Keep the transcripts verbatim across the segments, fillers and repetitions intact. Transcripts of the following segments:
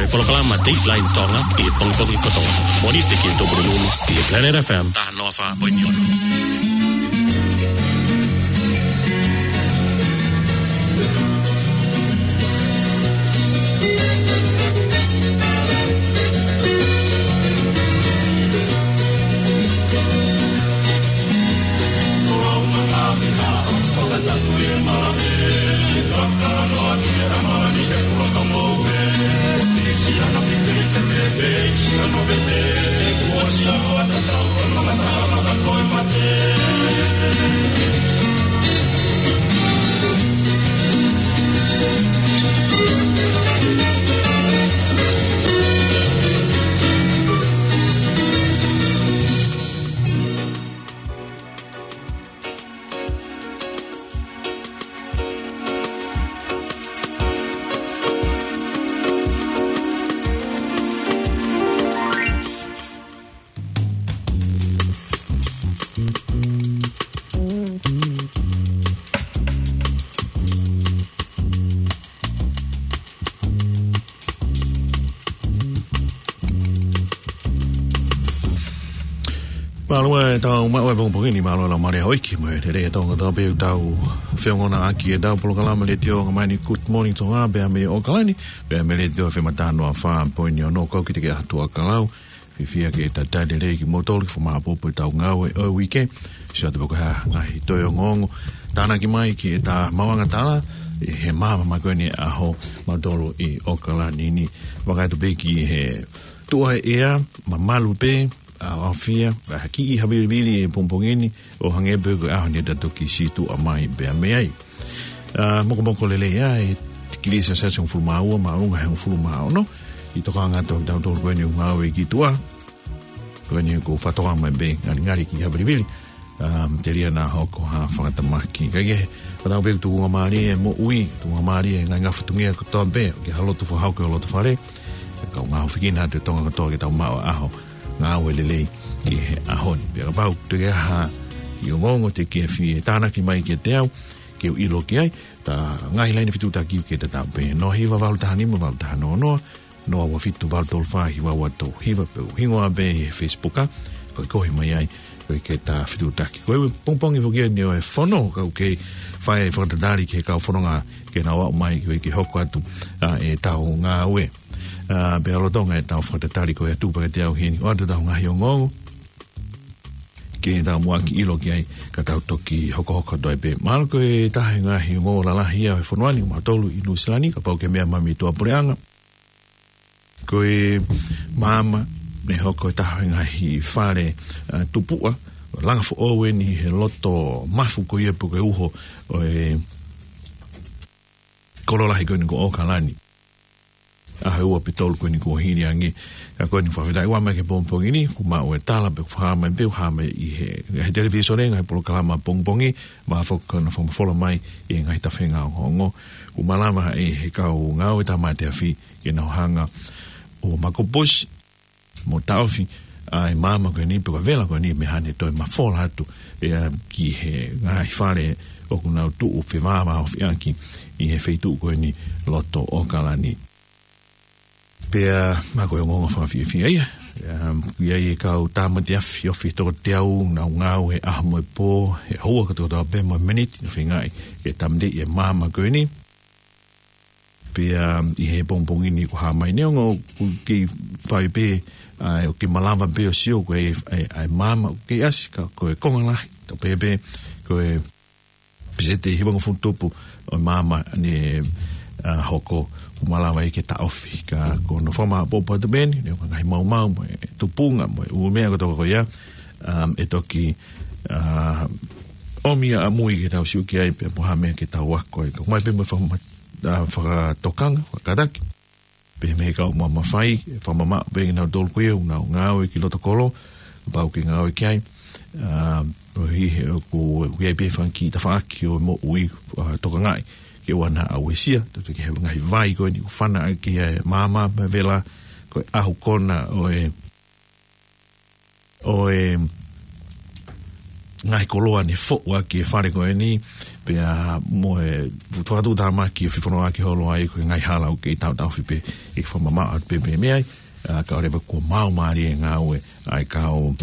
Polokalama Dateline Tonga ʻi he pongipongi kotoa. Mōnite ki he Tupulupulu ʻi he Planet F M taha noa fā poini ono. Mālō e tau maʻu e pongipongi ni, mālō e laumālie houʻeiki mo e lelei ʻa e Tonga kotoa pē ʻoku tau feongoʻaki ʻi heʻetau polokalama letiō ʻa e māmani Good Morning Tonga, pea mei ʻAokalani, pea mei he Letiō F M taha noa fā poini ono. Kau kiate koe ʻa Tuʻa Kalau, fiefia ke talitali lelei kimoutolu ki he fakamāʻopoʻopo ʻetau ngāue ʻo e uike. Sio atu pē ko e hā e ngaahi toe ongoongo tānaki mai ki heʻeta maʻuʻanga tala ʻi he māmā ko eni ʻaho mautolu ʻi ʻAokalani ni. Vakai atu pē ki he tuʻu ʻa e ʻea, mamalu pē, ʻa, ʻaofia, ʻa, kiʻi havilivili he pongipongi ni, ʻo hangē pē ko e ʻaho ni ʻe toki sītuʻa mai pē mei ai. ʻA, mokomoko lelei ʻa e tikilī Selesiasi hongofulu mā ua, māʻolunga he hongofulu mā ono, ʻi he tokanga atu ʻa kitautolu ko eni ʻoku ngāue ki tuʻa. Ko eni ʻoku fakatoka mai pē ngalingali kiʻi havilivili. ʻA, telia naʻa hoko ha fakatamaki. Kae kehe, fakatau pē tukungamālie e moʻui, tukungamālie e ngaahi ngafa tuʻunga kotoa pē, ke ha lotu fakahoko ʻi ho loto fale. Kae ʻoua ngā hofi kina atu e Tonga kotoa ke tau maʻu ʻa e ʻaho ngāue lelei ʻi he ʻaho ni. Pea kapau ʻoku toe ʻi ai ha kiʻi ongoongo te ke fie tānaki mai kiate au, ke u ʻilo ki ai, ʻa e ngaahi laine fetuʻutaki ke tatau pē, noa hiva valu taha nima valu taha noa noa, noa ua fitu valu tolu fā hiva ua tolu hiva, pe ko e hingoa pē he Facebook, ʻa, ko e kohi mai ai, ko e ke ta fetuʻutaki. Ko e pongipongi foki eni ʻo e fono, ka ʻoku kei fai e fakatatali ki he kau fononga ke nau aʻu mai, ko e ke hoko atu, ʻa, ʻetau ngāue. ʻA, pea lolotonga ʻetau fakatatali ko e tuku pē kiate au heni ʻo ʻoatu ʻetau ngaahi ongoongo ke tau muʻaki ʻilo ki ai, ka tau toki hokohoko atu ai pē. Mahalo ko e taha e ngaahi ongoongo lalahi ia ʻo e fonua ni, mautolu ʻi Nuʻu Sila ni, kapau ʻoku ke meʻa mai mei tuʻapuleʻanga. Ko e maama ne hoko e taha e ngaahi fale, ʻa, tupuʻa, langa foʻou eni he loto mafu ko ia pe ko e uho ʻo e kolo lahi ko eni ko ʻAokalani. ʻAho ʻe ua pe tolu ko eni kuo hili ange. Ka ko eni fakafetaʻi ʻoku ʻomai ki he pongipongi ni, kuo maʻu e tala pe kuo hā mai pē, hā mai ʻi he, he televīsone, ngaahi polokalama pongipongi, mahalo foki ko ʻena fakamafola mai ʻi he ngaahi tafenga ongoongo. Kuo malava ʻe he kau ngāue tāmate afi ke nau hanga ʻo makopusi mo taʻofi ʻa e maama ko eni pe ko e vela ko eni mei haʻane toe mafola atu ʻe, ʻa, ki he ngaahi fale ʻoku nau tuʻu fevāvāofi ʻaki ʻi he feituʻu ko eni loto ʻAokalani. Pea mahalo ko e ongoongo fakafiefia ia. ʻIa, ʻoku ʻi ai e kau tāmate afi, ofi toko teau, nau ngāue he ʻaho mo e pō, he houa kotoa pē mo e miniti, nau feingaʻi ke tāmateʻi e maama ko eni. Pea ʻi he pongipongi ni kuo hā mai neongo ʻoku kei fai pē, ʻa, ʻoku kei malava pē ʻo sio ko e, ʻa e, ʻa e maama ʻoku kei ʻasi ka ko e konga lahi. Tau pehē pē ko e peseti ʻe hivangofulu tupu ʻo e maama ne, ʻa, hoko kuo malava ia ke taʻofi. Ka ko hono fakamāʻopoʻopo atu pē eni, neongo e ngaahi maumau, mo e tupunga, mo e ʻū meʻa kotoa ko ia, ʻa, ʻe toki, ʻa, ʻomi ʻamui ke tau sio ki ai pea mo ha meʻa ke tau ako ai. Ka ʻomai pē mo e fakama-, ʻa, fakatokanga, fakakātaki pē mei he kau mamafa, fakamamaʻo pē kinautolu ko ia ʻoku nau ngāue ki loto kolo, kapau ʻoku ke ngāue ki ai. ʻA, ʻoku ʻi he, ʻoku, ʻoku ʻi ai pē fanga kiʻi tafaʻaki ʻo e moʻui, ʻa, tokangaʻi ke ʻoua naʻa uesia, tau te ke he ngaahi vai ko eni ʻoku fana ʻaki ʻa e maama mo e vela, ko e ʻahu kona ʻo e ʻo e ngaahi koloa ne foʻu ʻaki e fale ko eni, pea mo e fakatuʻutāmaki e fefonongaʻaki holo ai ko e ngaahi hala ʻoku kei tautaofi pē, ʻe fakamamaʻo atu pē mei ai, ā, kae ʻoua leva kuo maau mālie e ngāue ʻa e kau,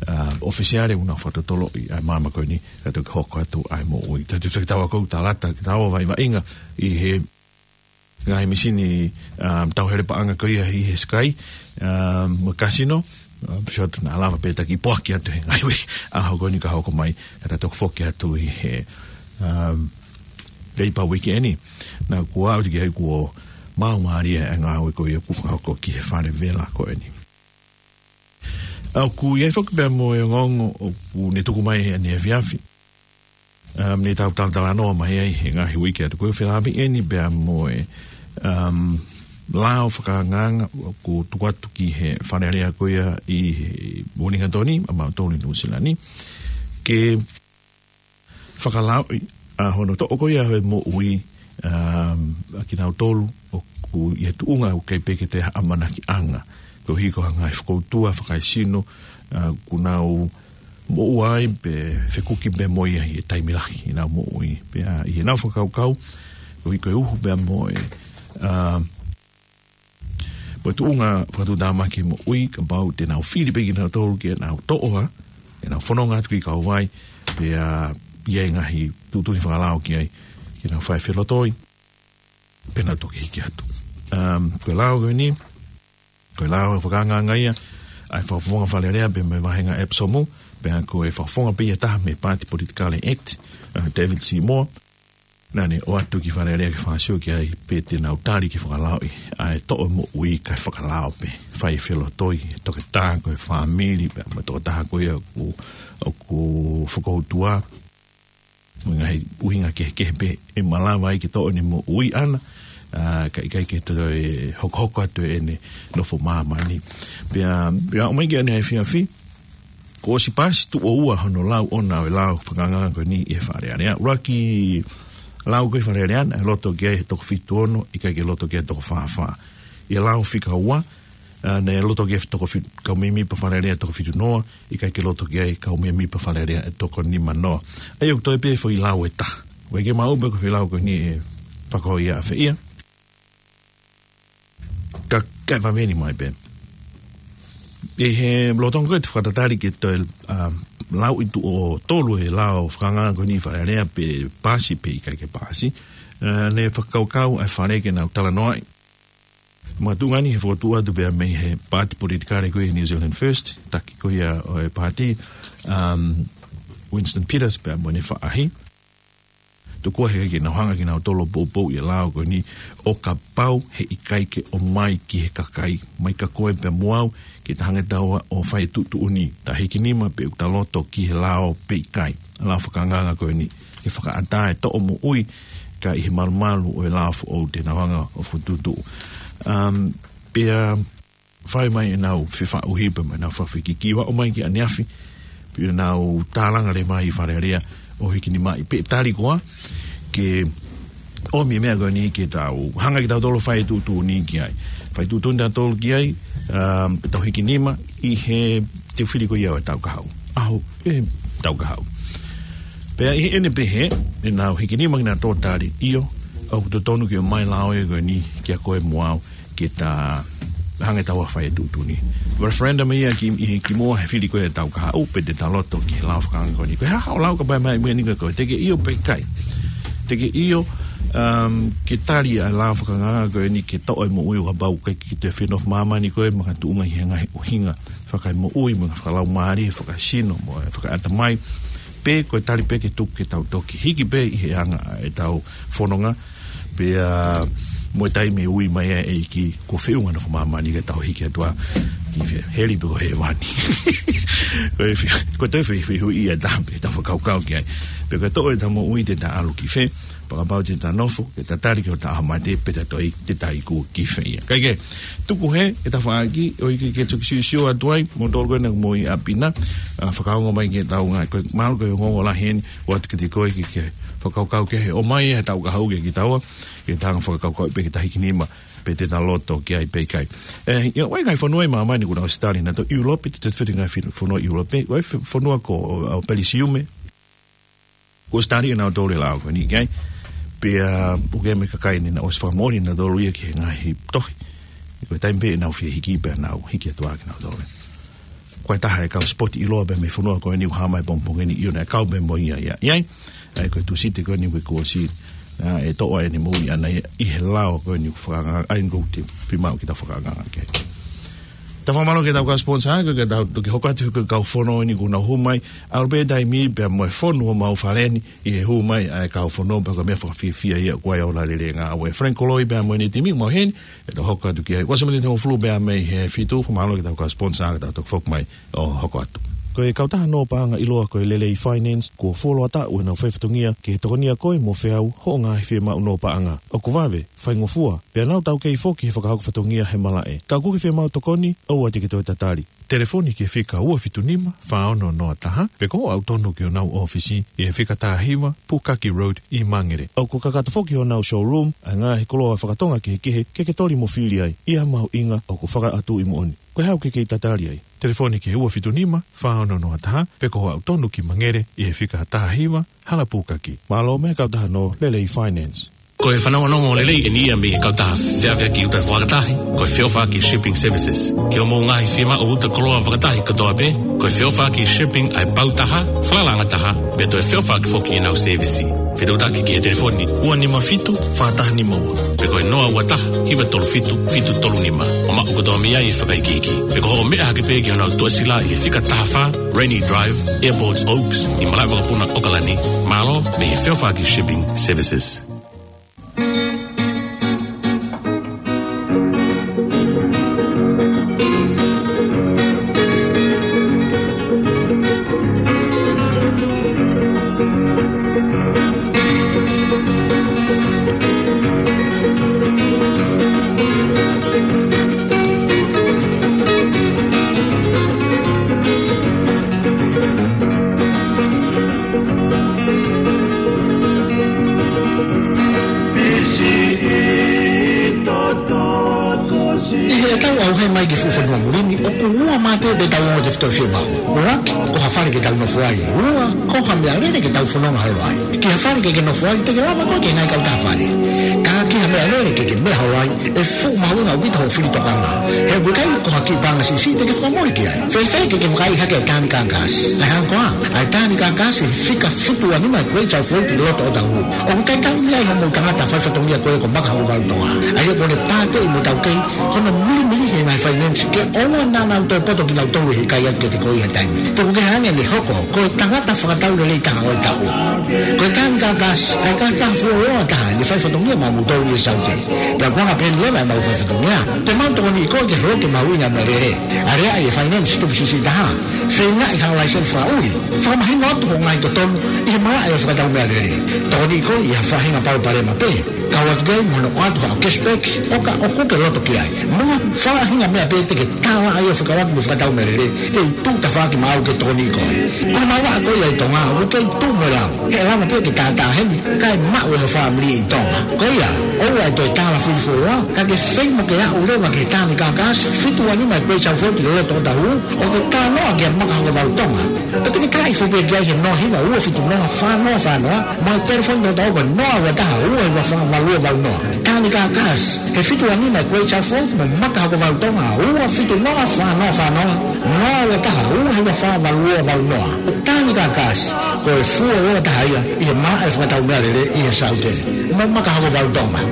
ā, ʻofisiale ʻoku nau fakatotoloʻi ʻa e maama ko eni, kae toki hoko atu ʻa e moʻui. Tau tui fakatau ako, tau lata, tau vaʻinga ʻi he ngaahi misini, um, tauhele paʻanga ko ia ʻi he Sky, um, mo e kasino, um, pea ʻoku ʻikai ke lava pē taki poaki atu he ngaahi uike ʻaho ko eni ka hoko mai, ka ta toki foki atu ʻi he, um, Leipa uike eni. Naʻa ku ʻalu ki ai kuo maau mālie e ngāue ko ia ʻoku fakahoko ki he fale vela ko eni. ʻOku ʻi ai foki pea mo e ongoongo ʻoku ne tuku mai he efiafi. Um, ne tau talatalanoa mai ai he ngaahi uike atu ko ē, felāveʻi eni pea mo e, um, lao fakaangaanga ʻoku tuku atu ki he Fale Alea ko ia ʻi Uelingatoni, ʻa mautolu ʻi Nuʻusila ni. Ke fakalaoʻi ʻa hono toʻo ko ia e moʻui, um, ʻa kinautolu ʻoku ʻi he tuʻunga ʻoku ʻikai pē ke toe ha ʻamanakiʻanga. Koeʻuhi ko e ngaahi fokoutua fakaesino, uh, ʻoku nau moʻua ai pe fekuki pē mo ia ʻi he taimi lahi ʻi heʻenau moʻui. Pea ʻi heʻenau fakakaukau, koeʻuhi ko e uhu pea mo e, uh, mo e tuʻunga fakatuʻutāmaki moʻui, kapau te nau fili pē kinautolu ke nau toʻo ʻa ʻenau fononga atu ki Kauvai, pea ʻi ai e ngaahi tuʻutuʻuni fakalao ki ai, ke nau fai felotoi, pea nau toki hiki atu. Um, ko e lao ko eni, ko e lao fakaangaanga ia ʻa e fakafofonga Fale Alea pea mo e vāhenga ʻEpisomu, pea ko e fakafofonga pē ia ʻe taha mei he Paati Politikale ʻEkiti, uh, David Seymour. Naʻa ne ʻoatu ki Fale Alea ke fakasio ki ai pe te nau tali ke fakalaoʻi ʻa e toʻo moʻui kae fakalao pē, fai felotoi, toketā ko e fāmili, pea mo e tokotaha ko ia ʻoku, ʻoku fokoutua. Mo e ngaahi ʻuhinga kehekehe pē ʻe malava ai ke toʻo ʻene moʻui ʻana, ā, kae ʻikai ke toe hokohoko atu ʻene nofo māmani. Pea, pea ʻomai ki ʻaneafi, kuo ʻosi paasi tuʻo ua hono lau ʻona ʻo e lao fakaangaanga ko eni ʻi he Fale Alea. ʻUluaki lau ko ē ʻi Fale Alea, naʻe loto ki ai he toko fitu ono, ʻikai ke loto ki ai he toko fā fā. ʻI he lao fika ua, ā, naʻe loto ki ai he toko fitu, kau mēmipa Fale Alea toko fitu noa, ʻikai ke loto ki ai kau mēmipa Fale Alea ʻe toko nima noa. ʻA ia ʻoku toe pē foʻi lau ʻe taha. ʻOku ʻikai ke maʻu pē ko e foʻi lau ko eni ʻe fakahoko ia ʻafē ia. Ka, kae vaveni mai pē. ʻI he lolotonga ko ē ʻete fakatatali ke toe, ā, lauʻi tuʻo tolu e lao fakaangaanga ko eni ʻi Fale Alea pe paasi pe ʻikai ke paasi. Ā, naʻe fakakaukau ʻa e Fale ke nau talanoaʻi. Makatuʻunga ni he fokotuʻu atu pea mei he Paati Politikale ko ia New Zealand First, taki ko ia ʻo e paati, um, Winston Peters pea mo ʻene faʻahi. Tokua he ʻikai ke nau hanga kinautolu ʻo poupouʻi e lao ko eni ʻo kapau he ʻikai ke ʻomai ki he kakai, mai kia koe pea mo au, ke ta hanga ʻe taua ʻo fai e tuʻutuʻuni, ta hiki nima pe ʻoku ta loto ki he lao pe ʻikai. Lao fakaangaanga ko eni, ke fakaʻatā e toʻo moʻui, ka ʻi he malumalu ʻo e lao foʻou te nau hanga ʻo fokotuʻutuʻu. Um, pea fai mai ʻenau fefaʻuhi pea mo ʻenau fakafekiki, ʻo aʻu mai ki ʻaneafi, pea nau tālanga leva ʻi Fale Alea ʻo hiki nimaʻi pe tali koā, ke ʻomi e meʻa ko eni ke tau hanga kitautolu ʻo fai e tuʻutuʻuni ki ai. Fai tuʻutuʻuni tautolu ki ai, um, pea tau hiki nima ʻi he teu fili ko ia ʻo e tau kahaʻu. ʻAho, ʻe, tau kahaʻu. Pea ʻi heʻene pehē, ʻenau hiki nima kinautolu ʻo tali, ʻio, ʻoku totonu ke ʻomai e lao ko eni kia koe mo au, ke ta hanga ʻe taua ʻo fai e tuʻutuʻuni. Referendum ia ki, ʻi, kimuʻa he fili ko ia ʻo e tau kahaʻu, pe te ta loto ki he lao fakaangaanga ko eni. Ko e hā haʻo lau kapau ʻe ʻomai eni kia koe, te ke ʻio pe ʻikai. Te ke ʻio, um, ke tali ʻa e lao fakaangaanga ko eni ke toʻo e moʻui ʻo kapau ʻoku ʻikai ke toe fie nofo ʻi māmani koe, makatuʻunga ʻi he ngaahi ʻuhinga fakaemoʻui, mo e fakalaumālie, fakaesino, mo e fakaʻatamai. Pe ko e tali pē ke tuku ke tau toki hiki pē ʻi he anga ʻetau fononga, pea mo e taimi ʻe ui mai ai e ʻEiki, kuo feʻunga e nofo ʻi māmani ka tau hiki atu ā ki fē, heli pe ko hēvani. Ko e fe-, ko e toe fe-, fehuʻi ia ʻe taha pē ke ta fakakaukau ki ai. Pe ko e toʻo ʻeta moʻui te ta ʻalu ki fē, pe kapau te ta nofo, ke ta tali ki hota ʻaho mate, pe ta toe, te ta iku ki fē ia. Kae kehe, tuku hē e tafaʻaki, ʻoku ʻikai ke toki siosio atu ai, mo tolu ko ena mo i ʻapi na, ā, fakaongo mai ki heʻetau ngā, ko e mahalo ko e ongoongo lahi eni, ʻoatu kiate koe ke, ke fakakaukau ki he ʻomai e tau kahaʻu kia kitaua, ke ta hanga ʻo fakakaukau pē ke ta hiki nima, pe te ta loto ki ai pe ʻikai. ʻE, ʻi he ngaahi fonua ʻi māmani ʻoku nau ʻosi tali nautolu ʻIulope, te te feti ngaahi finu-, fonua ʻIulope, ʻoku ʻi ai fe-, fonua ko, ʻo, ʻo Pelisiume, kuo ʻosi tali ʻe nautolu e lao ko eni ki ai. Pea, ʻoku ʻi ai mo e kakai ni naʻe ʻosi fakamoʻoni nautolu ia ki he ngaahi tohi. Ko e taimi pē ʻenau fie hiki pea nau hiki atu ʻa kinautolu. Ko e taha e kau sipoti ʻiloa pē mei he fonua ko eni ʻoku hā mai pongipongi ni ʻio naʻe kau pē mo ia ia. ʻI ai, ʻa ia ko e Tūsite ko eni ʻoku ʻosi, ʻa, ʻe toʻo ʻene moʻui ʻana ia ʻi he lao ko eni ʻoku fakaanga, ʻa ia ʻoku te fiemaʻu ke ta fakaanga ke. Ta fakamālō ki heʻetau kau sponsor, ko e ke tau, ke hoko atu ko e kau fono eni ʻoku nau hū mai, ʻalu pē taimi pea mo e fonu ʻo mau fale ni, ʻi he hū mai ʻa e kau fono pea ko e meʻa fakafiefia ia ko e ʻalu lelei ngāue ʻa Frank Koloi pea mo ʻene timi mo heni, ʻe tau hoko atu ki ai. Ua sāmini tau fulu pea mei he fitu, fakamālō ki heʻetau kau sponsor, ke tau toki foki mai ʻo hoko atu. Ko e kautaha nō paʻanga ʻiloa ko e Lelei Finance, kuo fuoloa taʻu ʻenau faifatongia ke tokonia koe mo feau hoʻo ngaahi fiemaʻu nō paʻanga. ʻOku vave, faingofua, pea nau taukei foki he fakahoko fatongia he malaʻe. Ka ʻoku ke fiemaʻu tokoni, ʻoua te ke toe tatali. Telefoni ki he fika ua fitu nima, fā ono noa taha, pe ko e aʻu tonu ki honau ʻōfisi ʻi he fika taha hiva, Pukaki Road ʻi Mangere. ʻOku kakato foki honau showroom, ʻa e ngaahi koloa fakatonga kehekehe, ke ke toli mo fili ai, ʻi ha mahuʻinga ʻoku fakaʻatuʻi moʻoni. Ko e hā ʻoku ke kei tatali ai? Telefoni ki he ua fitu nima, fā ono noa taha, pe ko e aʻu tonu ki Mangere ʻi he fika taha hiva, Hala Pukaki. Mālō mo e kautaha nō Lelei Finance. Ko e fanongonongo lelei eni ia mei he kautaha feʻauaki uta fakatahi, ko e Feʻauaki Shipping Services. Ki hoʻomou ngaahi fiemaʻu uta koloa fakatahi kotoa pē, ko e Feʻauaki Shipping ʻa e pau taha, falala ʻanga taha, pea toe feʻauaki foki ʻenau sēvisi. Fetuʻutaki ki he telefoni ua nima fitu, fā taha nima ua. Pe ko e noa ua taha, hiva tolu fitu, fitu tolu nima. ʻO maʻu kotoa mei ai e fakaikiiki. Pe ko hoʻo meʻa hake pē ki honau tuʻasila ʻi he fika taha fā, Rainy Drive, Airport Oaks, ʻi malaʻe vakapuna ʻAokalani, mālō mei he Feʻauaki Shipping Services. ʻI heʻetau ʻauhē mai ki he fuʻu fonua muli ni, ʻoku ua mā pē ʻetau ongo tefitoʻi fiemaʻu. ʻUluaki, ko ha fale ke tau nofo ai. Ua, ko ha meʻalele ke tau fononga holo ai. Ki ha fale ke ke nofo ai, te ke lava koe ke ngai kau taha fale. Ka ki ha meʻalele ke ke meʻa holo ai, ʻe fuʻu mahuʻinga ʻaupito hoʻo fili tokanga. He ʻoku ʻikai ko ha kiʻi paʻanga siʻisiʻi te ke fakamole ki ai. Fēfē ke ke fakaʻi hake e Tānika Gas? ʻA e hā koā, ʻa e Tānika Gas ʻi he fika fitu ua nima Great South Road ʻi loto Otahuhu. ʻOku ʻikai tau mei ai hoʻomou tangata faifatongia ko ē ko Maka Hokovalu Tonga. ʻA ia ko ʻene pāteʻi mo taukei hono milimili he ngaahi finance ke ʻoua naʻa nau toe poto kinautolu he ʻikai atu ke te ko ʻi ha taimi. Tuku kehe ange ʻene hoko ko e tangata fakatau lelei taha ʻo e taʻu. Ko e Tānika Gas, ʻa e kautaha fuoloa taha ʻene faifatongia maʻamoutolu ʻi Saute. Pea ko e anga pē ʻeni leva ʻemau faifatongia, te mau tokoniʻi koe ke holo ke mahuʻinga e meʻalele. Aleaʻi e finance tupu siʻisiʻi taha. Feingaʻi haʻo laiseni fakaʻuli. Fakamahino atu hoʻo ngaahi totonu ʻi he malaʻe ʻo e fakatau meʻalele. Tokoniʻi koe ʻi ha faʻahinga palopalema pē. Kau atu ki ai mo hono ʻoatu haʻo cashback, ʻo ka ʻoku ke loto ki ai. Mo ha faʻahinga meʻa pē te ke tālaʻa ai ʻo fekauʻaki mo e fakatau meʻalele, te u tuʻu tafaʻaki maʻau ke tokoniʻi koe. Ko e malava ko ia ʻi Tonga, ʻoku kei tuʻu mo e lau. He ʻe lava pē ke tātā heni, kae maʻu ʻe ho fāmili ʻi Tonga. Ko ia, ʻoua ʻe toe tālafili fuoloa, ka ke feinga ke aʻu leva ki he Tānika Gas, fitu ua nima Great South Road ʻi loto Otahuhu, ʻo ke talanoa kia Maka Hokovalu Tonga. Pea te ke talaʻi foki pē ki ai he noa hiva ua fitu noa fā noa fā noa, mo e telefoni hoʻatā ko e noa ua taha ua hiva fā valu ua valu noa. Tānika Gas, he fitu ua nima Great South Road mo Maka Hokovalu Tonga ua fitu noa fā noa fā noa, noa ua taha ua hiva fā valu ua valu noa. Tānika Gas, ko e fuoloa taha ia ʻi he malaʻe fakatau meʻalele ʻi he Saute. Mo Maka Hokovalu Tonga.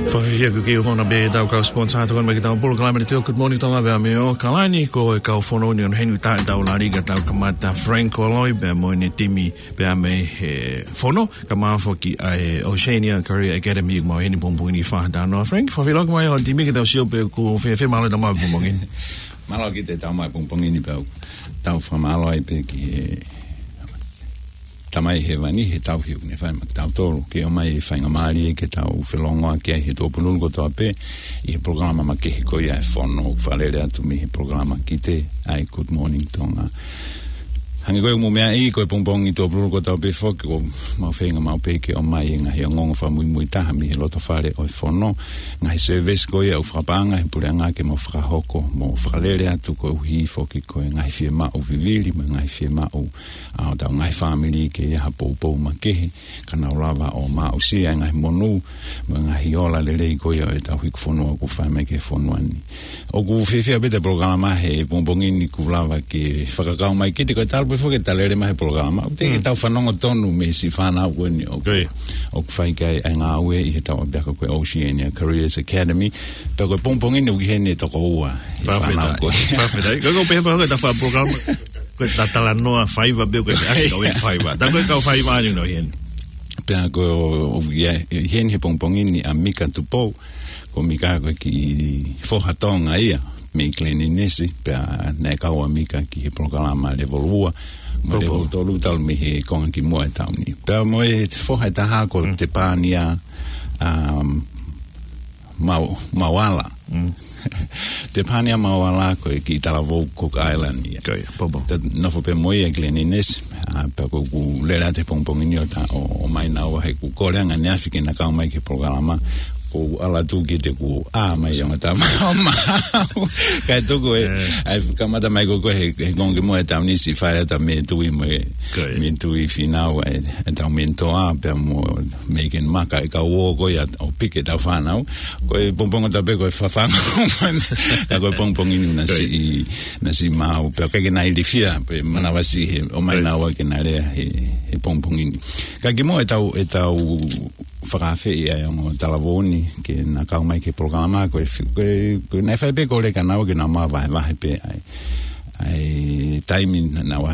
Fakafiefia ʻoku ke ʻi heni pē ʻetau kau sponsor, tokoni mai ki heʻetau polokalama ni, Good Morning Tonga pea mei ʻAokalani, ko e kau fono ni ʻoku nau heni ʻo tā ʻetau lali ka tau kamata, Frank Koloi pea mo ʻene timi pea mei he fono, kae ʻumaʻā foki ʻa e Oceania Career Academy ʻoku mau ʻi heni pongipongi ni fakataha noa. Frank, fakafiefia mai hoʻo timi ke tau sio pe ʻoku fēfē, mālō e tau maʻu pongipongi ni. Mālō ʻaupito e tau maʻu pongipongi ni pea tau fakamālō ai pē ki he Tamai Hēvani he tauhi ʻoku ne fai maʻa kitautolu ke ʻomai e faingamālie ke tau felongoaki ai he tuʻupununu kotoa pē ʻi he polokalama makehe ko ia e fono, fakalele atu mei he polokalama ki te ʻai Good Morning Tonga. Hangē ko e ʻoku mou meaʻi, ko e pongipongi Tuʻapululu kotoa pē foki, ʻoku mau feinga maʻu pē ke ʻomai e ngaahi ongoongo fakamuimui taha mei he loto fale ʻo e fono, ngaahi service ko ia ʻoku fakapaʻanga ʻe he puleʻanga ke mau fakahoko, mo fakalele atu koeʻuhi foki ko e ngaahi fiemaʻu vivili, mo e ngaahi fiemaʻu ʻa hotau ngaahi fāmili ke ʻi ai ha poupou makehe, ka nau lava ʻo maʻusia e ngaahi monū, mo e ngaahi ola lelei ko ia ʻo ʻetau hiku fonua ʻoku fai mai ki he fonua ni. ʻOku fiefia pē ʻa e polokalama he pongipongi ni kuo lava ke fakakau mai kiate koe, talu pē foki ʻeta lele mai he polokalama. ʻOku teʻeki ke tau fanongo tonu mei he siʻi fānau ko eni ʻoku, ʻoku fai ki ai e ngāue ʻi heʻetau ʻapiako ko e Oceania Careers Academy. Pea ko e pongipongi ni ʻoku ʻi heni e toko ua he fānau ko ē. Fakafetaʻi. Fakafetaʻi. Ko e kau pehē pē ko ʻeta fakapolokalama, ko ʻeta talanoa faiva pē ko ʻeta ʻasi kau e faiva. Tā ko e kau faiva ni ʻoku ʻi heni. Pea ko e ʻi heni he pongipongi ni ʻa Mika Tupou, ko Mika ko e kiʻi foha Tonga ia mei Glen Innes, pea naʻe kau ʻa Mika ki he polokalama Level ua, mo Level tolu talu mei he konga kimuʻa e taʻu ni. Pea mo e foha ʻe taha ko Tepania, um, Mau-, Mauala. Tepania Mauala ko e kiʻi talavou Cook Island ia. Ko ia, pōpō. Tau nofo pē mo ia ʻi Glen Innes, ʻa, pea ko ʻeku lele atu he pongipongi ni ʻo ta-, ʻo, ʻomai naua he kuo kole ange ʻaneafi ke na kau mai ki he polokalama, ko ʻeku ʻalu atu kiate kuo ʻā mai ʻa e ongo tama ʻo maʻu. Kae tuku e, ʻa e kamata mai ko ē he, he konga kimuʻa e taʻu ni siʻi fai atu ʻa Mē Tui mo e, Mē Tui Fīnau, ʻa e, ʻa ʻetau mentor pea mo Megan Maka, e kau ō ko ia ʻo piki ʻetau fānau. Ko e pongipongi kotoa pē ko e fafanga mai. Ka ko e pongipongi ni naʻe siʻi, naʻe siʻi maau, pea ʻikai ke na ilifia, pea manavasiʻi he ʻomai naua ke na lea he, he pongipongi ni. Ka kimuʻa ʻetau, ʻetau fakaafeʻi ʻa e ongo talavou ni ke na kau mai ki he polokalama, ko e fi-, ko e, ko e naʻe fai pē kole kia naua ke na mavahevahe pē ʻa e, ʻa e taimi naʻa, naʻa,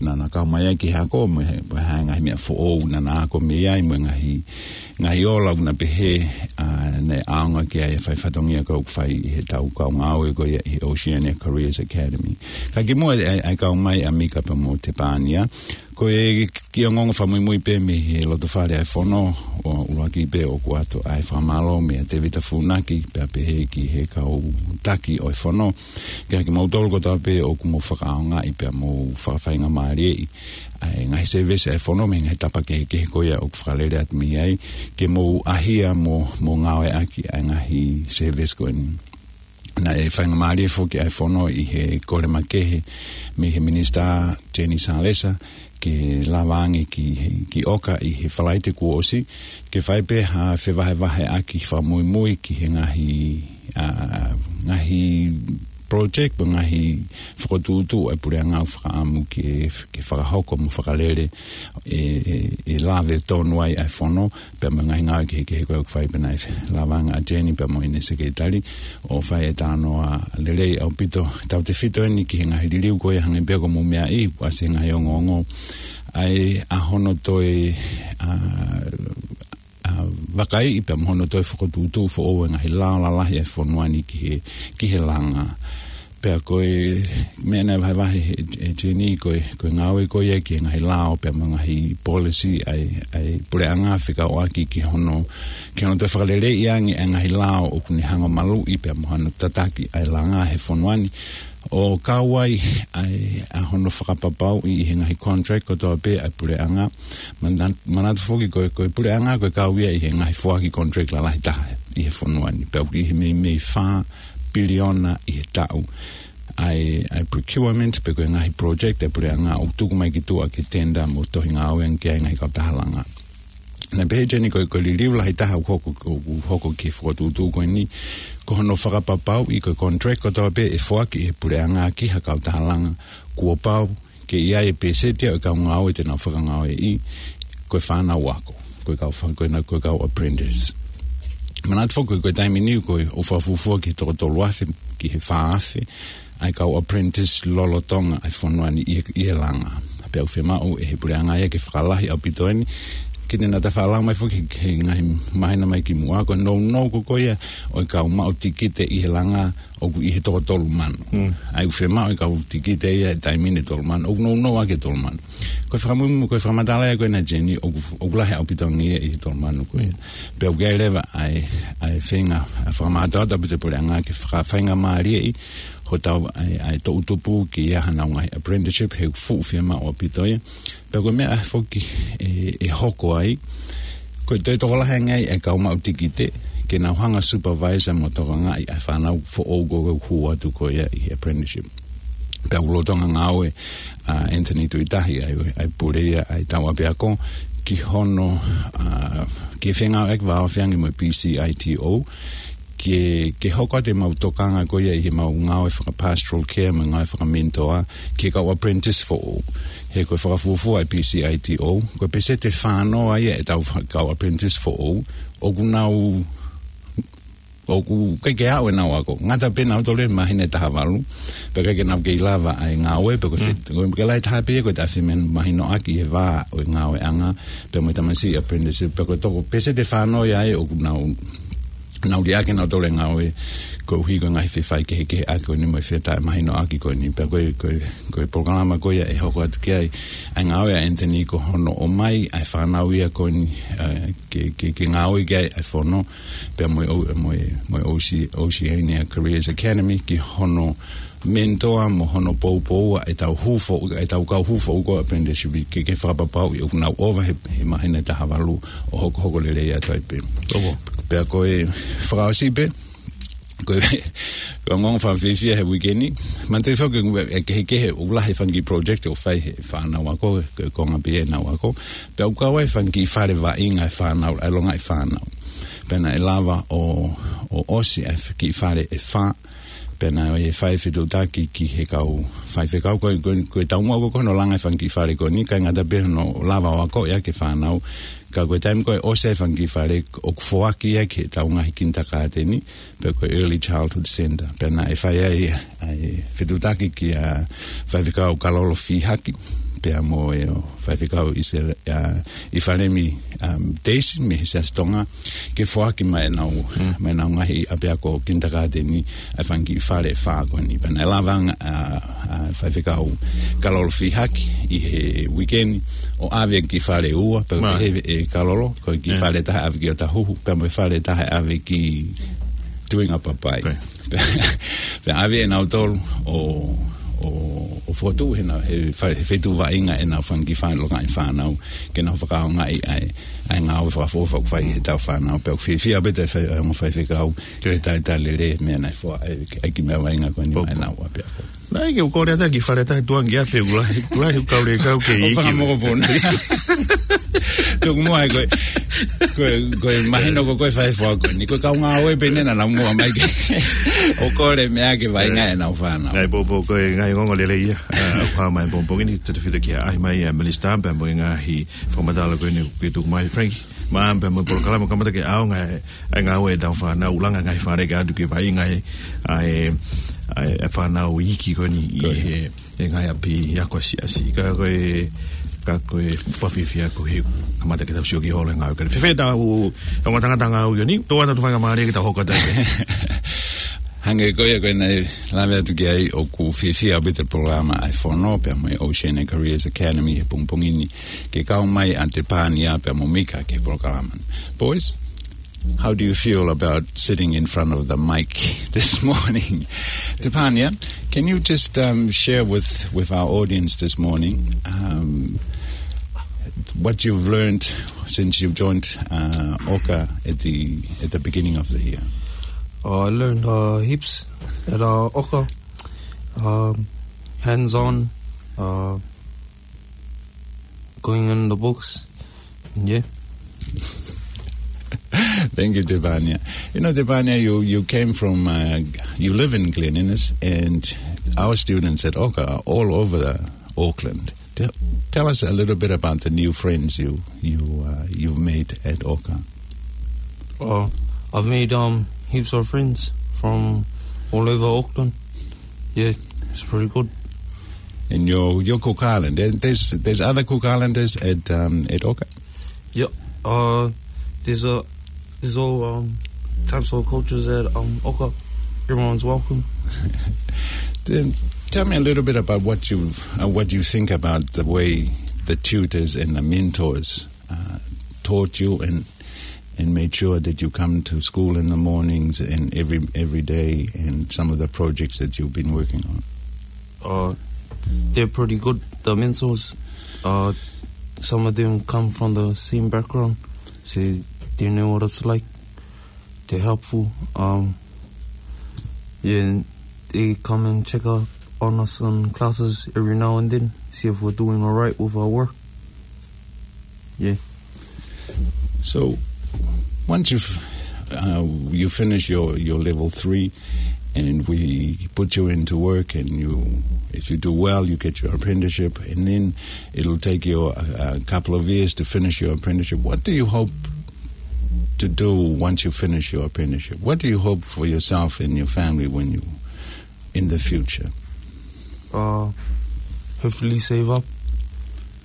naʻa na kau mai ai ki he ako, mo e, mo e hā e ngaahi meʻa foʻou naʻa na ako mei ai, mo e ngaahi, ngaahi ola ʻoku na pehē, ʻa, naʻe ʻaonga ki ai e fai fatongia ko ē ʻoku fai ʻe heʻetau kau ngāue ko ia ʻi he Oceania Careers Academy. Ka kimuʻa ʻa e, ʻa e kau mai ʻa Mika pea mo Tepania, ko e kiʻi ongoongo fakamuimui pē mei he loto fale ʻa e fono, ʻo ʻuluaki pē ʻoku ʻoatu ʻa e fakamālō meia Tevita Funaki, pea pehē ki he kau taki ʻo e fono, kia kimoutolu kotoa pē ʻoku mou fakaʻaongaʻi pea mou fakafaingamālieʻi ʻa e ngaahi service ʻa e fono mei he ngaahi tapa kehekehe ko ia ʻoku fakalele atu mei ai, ke mou ʻahia mo, mo ngāueʻaki ʻa e ngaahi service ko eni. Naʻe faingamālie foki ʻa e fono ʻi he kole makehe mei he Minisitā Jenny Salesa ke lava ange ki he, ki ʻOka ʻi he Falaite kuo ʻosi, ke fai pē ha fevahevaheʻaki fakamuimui ki he ngaahi, ʻa, ngaahi project, pe ngaahi fokotuʻutuʻu ʻa e puleʻanga ʻoku fakaʻamu ke, ke fakahoko mo fakalele ʻe, ʻe, ʻe lave tonu ai ʻa e fono, pea mo e ngaahi ngāue kehekehe ko ē ʻoku fai. Pea naʻe lava ange ʻa Jenny pea mo ʻene sekelitali ʻo fai e talanoa lelei ʻaupito. Tautefito eni ki he ngaahi liliu ko ia, hangē pē ko ʻeku meaʻi, ʻoku ʻasi he ngaahi ongoongo ʻa e, ʻa hono toe, ʻa, ʻa, vakaiʻi pea mo hono toe fokotuʻutuʻu foʻou e ngaahi lao lalahi ʻa e fonua ni ki he, ki he langa. Pea ko e meʻa naʻe vahevahe ʻe, ʻe Jenny ko e, ko e ngāue ko ia ki he ngaahi lao pea mo e ngaahi policy ʻa e, ʻa e puleʻanga fekauʻaki ki hono, ki hono toe fakaleleiʻi ange ʻa e ngaahi lao ʻoku ne hanga ʻo maluʻi pea mo hano tataki ʻa e langa he fonua ni. ʻO kau ai ʻa e, ʻa hono fakapapauʻi ʻi he ngaahi contract kotoa pē ʻa e puleʻanga. Mana-, manatu foki ko e, ko e puleʻanga ko e kau ia ʻi he ngaahi foaki contract lalahi taha ʻi he fonua ni. Pea ʻoku ʻi he meimei fā piliona ʻi he taʻu ʻa e, ʻa e procurement pe ko e ngaahi project ʻa e puleʻanga ʻoku tuku mai ki tuʻa ke tender mo tohi ngāue ange ki ai e ngaahi kautaha langa. Naʻe pehē ʻe Jenny ko e, ko e liliu lahi taha ʻoku hoko, ʻoku hoko ki he fokotuʻutuʻu ko eni, ko hono fakapapauʻi ko e contract kotoa pē ʻe foaki ʻe he puleʻanga ki ha kautaha langa, kuo pau ke ʻi ai e pēseti ia ʻo e kau ngāue te nau fakangāueʻi ko e fānau ako, ko e kau fa-, ko e na-, ko e kau apprentice. Manatu foki ko e taimi ni ko e ʻoku fakafuofua ki he toko tolu afe ki he fā afe ʻa e kau apprentice lolotonga ʻa e fonua ni ʻi, ʻi he langa. Pea ʻoku fiemaʻu ʻe he puleʻanga ia ke fakalahi ʻaupito eni. Kiʻi nata fakalanga mai foki he, he ngaahi māhina mai kimuʻa, ko e nounou ko ē ko ia ʻo e kau maʻu tikite ʻi he langa ʻoku ʻi he toko tolu mano. ʻA ia ʻoku fiemaʻu e kau tikite ia he taimi ni ʻe tolu mano, ʻoku nounou ʻaki e tolu mano. Ko e fakamuimui, ko e fakamatala ia ko ena Jenny, ʻoku, ʻoku lahi ʻaupito ange ia ʻi he tolu mano ko ia. Pea ʻoku ʻi ai leva ʻa e, ʻa e feinga, ʻa e fakamātoato ʻaupito e puleʻanga ke fakafaingamālieʻi ʻo tau ʻai, ʻai toʻutupu ki ai hanau ngaahi apprenticeship, he fuʻu fiemaʻu ʻaupito ia. Pea ko e meʻa foki ʻe, ʻe hoko ai, ko e toe tokolahi ange ai e kau maʻu tikite, ke nau hanga supervisor mo tokangaʻi ʻa e fānau foʻou ko ē ʻoku hū atu ko ia ʻi he apprenticeship. Pea ʻoku lolotonga ngāue ʻa Anthony Tuʻitahi, ʻa e, ʻa e pule ia ʻa e tau ʻapiako, ki hono, ʻa, ki he fengāueʻaki vāofi ange mo e P C I T O, ke, ke hoko atu ʻemau tokanga ko ia ʻi heʻemau ngāue fakapastoral care mo e ngāue fakaminitoa ki he kau apprentice foʻou. He ko e fakafuofua ʻa e P C I T O, ko e peseti ʻe fā noa ia ʻetau fa-, kau apprentice foʻou ʻoku nau, ʻoku ʻikai ke aʻu ʻenau ako. Ngata pē nautolu he māhina ʻe taha valu, pea ʻikai ke nau kei lava ʻa e ngāue, pea ko e Mm. fe-, ko e ke lahi taha pē ia ko e taʻefimanu mahinoʻaki he vā ʻo e ngāueʻanga, pea mo e tamasiʻi apprentice, pea ko e toko peseti ʻe fā noa ia ʻoku nau, nau liʻaki ʻenautolu e ngāue koeʻuhi ko e ngaahi fefaʻuhi kehekehe ʻaki ko eni mo e fetaʻemahinoʻaki ko eni. Pea ko e, ko e, ko e polokalama ko ia ʻe hoko atu ki ai ʻa e ngāue ʻa Anthony ko hono ʻomai ʻa e fānau ia ko eni, ʻa, ke, ke, ke ngāue ki ai ʻa e fono, pea mo e O-, mo e, mo e O C, Oceania Careers Academy, ki hono menitoa mo hono poupou ʻa ʻetau hū foʻou, ʻetau kau hū foʻou ko e apprenticeship ke, ke fakapapauʻi ʻoku nau ʻova he, he māhina ʻe taha valu ʻo hokohoko lelei atu ai pē. Opo. Pea ko e fakaʻosi pē, ko e, ko e ongoongo fakafiefia he uike ni, manatuʻi foki ʻe kehekehe ʻoku lahi e fanga kiʻi project ʻoku fai he fānau ako, ko e konga pē ia ʻenau ako, pea ʻoku kau ai e fanga kiʻi fale vaʻinga e fānau, ʻa e longaʻi fānau. Pea naʻe lava ʻo, ʻo ʻosi ʻa e kiʻi fale ʻe fā, pea naʻe fai e fetuʻutaki ki he kau faifekau, ko e, ko e, ko e taumuʻa ko ē ko hono langa e fanga kiʻi fale ko eni, ʻikai ngata pē hono lava ʻo akoʻi ʻaki e fānau, ka ko e taimi ko ē ʻosi e fanga kiʻi fale ʻoku foaki ia ki heʻetau ngaahi kinitakāteni, pea ko e Early Childhood Centre. Pea naʻe fai ai ʻa e fetuʻutaki kia Faifekau Kalolo Fihaki, pea mo e ʻo Faifekau ʻIsele-, ʻa, ʻIfalemi, um, Daisy, mei he Siasi Tonga, ke foaki mai ʻenau, Mm. mai ʻenau ngaahi ʻapiako kinitakāteni ʻa e fanga kiʻi fale ʻe fā ko eni. Pea naʻe lava ange ʻa, ʻa Faifekau Kalolo Fihaki ʻi he uike ni ʻo ʻave e kiʻi fale ʻe ua, pea Mā. pehē ʻe Kalolo, ko e kiʻi Yeah. fale ʻe taha ʻave ki ʻOtahuhu, pea mo e fale ʻe taha ʻave ki Tuingapapai. Right. Pea ʻave ʻenautolu ʻo, ʻo, ʻo fokotuʻu he nau, he fa-, he feituʻu vaʻinga ʻenau fanga kiʻi fā-, longaʻi fānau, ke nau fakaʻaongaʻi ʻa e, ʻa e ngāue fakaʻofoʻofa ʻoku fai heʻetau fānau, pea ʻoku fiefia pē ʻa e fai-, ʻa e ongo faifekau, ke talitali lelei e meʻa naʻe foa, ʻa e, ʻa e kiʻi meʻa vaʻinga ko eni Pō, pō. mai ʻenau ʻapiako. Naʻe ʻikai ke u kole ata ki he fale ʻe taha tuʻunga ki ʻapi, ʻoku lahi, ʻoku lahi e kau lelei kau ke ʻO iki. Fakamokopuna. Tuku muʻa ai ko e, ko e, ko e mahino ko koe fai foa ko eni. Ko e kau ngāue pē eni naʻa nau muʻa mai ke ʻo kole meʻa ke vaʻinga ʻenau fānau. ʻA e pōpō ko e ngaahi ongoongo lelei ia. ʻA, ʻoku hā mai pongipongi ni, tautefito ki he ʻaʻahi mai ʻa Melissa pea mo e ngaahi fakamatala ko eni kuo tuku mai Frank. Mā pea mo e polokalama kamata ke ʻaonga e, e ngāue ʻetau fānau, langa ngaahi fale ke ʻatu ke vaʻinga e, ʻa e, ʻa e, e fānau iiki ko eni ʻi Ko ia. he, he ngaahi ʻapi ako siasi. Ka ko e, ka ko e fakafiefia ko e kamata ke tau sio ki holo e ngāue ko eni. Fēfē ʻetau, ʻetau ngataʻanga ngāue ko eni, tō atu ʻetau faingamālie ke tau hoko atu ai. Hangē ko ia ko ē naʻe lave atu ki ai, ʻoku fiefia ʻaupito e polokalama ʻa e Fono pea mo e Oceania Careers Academy he pongipongi ni, ke kau mai ʻa Tepania pea mo Mika ki he polokalama. Boys, how do you feel about sitting in front of the mic this morning? Tepania, can you just, um, share with, with our audience this morning, um, what you've learned since you've joined, uh, Oka at the, at the beginning of the year? Oh, I learned, uh, heaps at, uh, Oka. Um, hands-on, uh, going in the books. Yeah. Thank you, Tepania. You know, Tepania, you, you came from, uh, you live in Glen Innes, and our students at Oka are all over the Auckland. Tell, tell us a little bit about the new friends you, you, uh, you've made at Oka. Oh, I've made, um, heaps of friends from all over Auckland. Yeah, it's pretty good. And your, your Cook Island, there, there's, there's other Cook Islanders at, um, at Oka? Yep. Uh, there's a, there's all, um, types of cultures at, um, Oka. Everyone's welcome. Then tell me a little bit about what you've, uh, what you think about the way the tutors and the mentors, uh, taught you and and made sure that you come to school in the mornings and every, every day, and some of the projects that you've been working on? Uh, they're pretty good. The mentors, uh, some of them come from the same background, so they know what it's like. They're helpful. Um, yeah, and they come and check up on us on classes every now and then, see if we're doing all right with our work. Yeah. So, once you've, uh, you finish your, your level three, and we put you into work, and you, if you do well, you get your apprenticeship, and then it'll take you a, a couple of years to finish your apprenticeship. What do you hope to do once you finish your apprenticeship? What do you hope for yourself and your family when you, in the future? Uh, hopefully save up,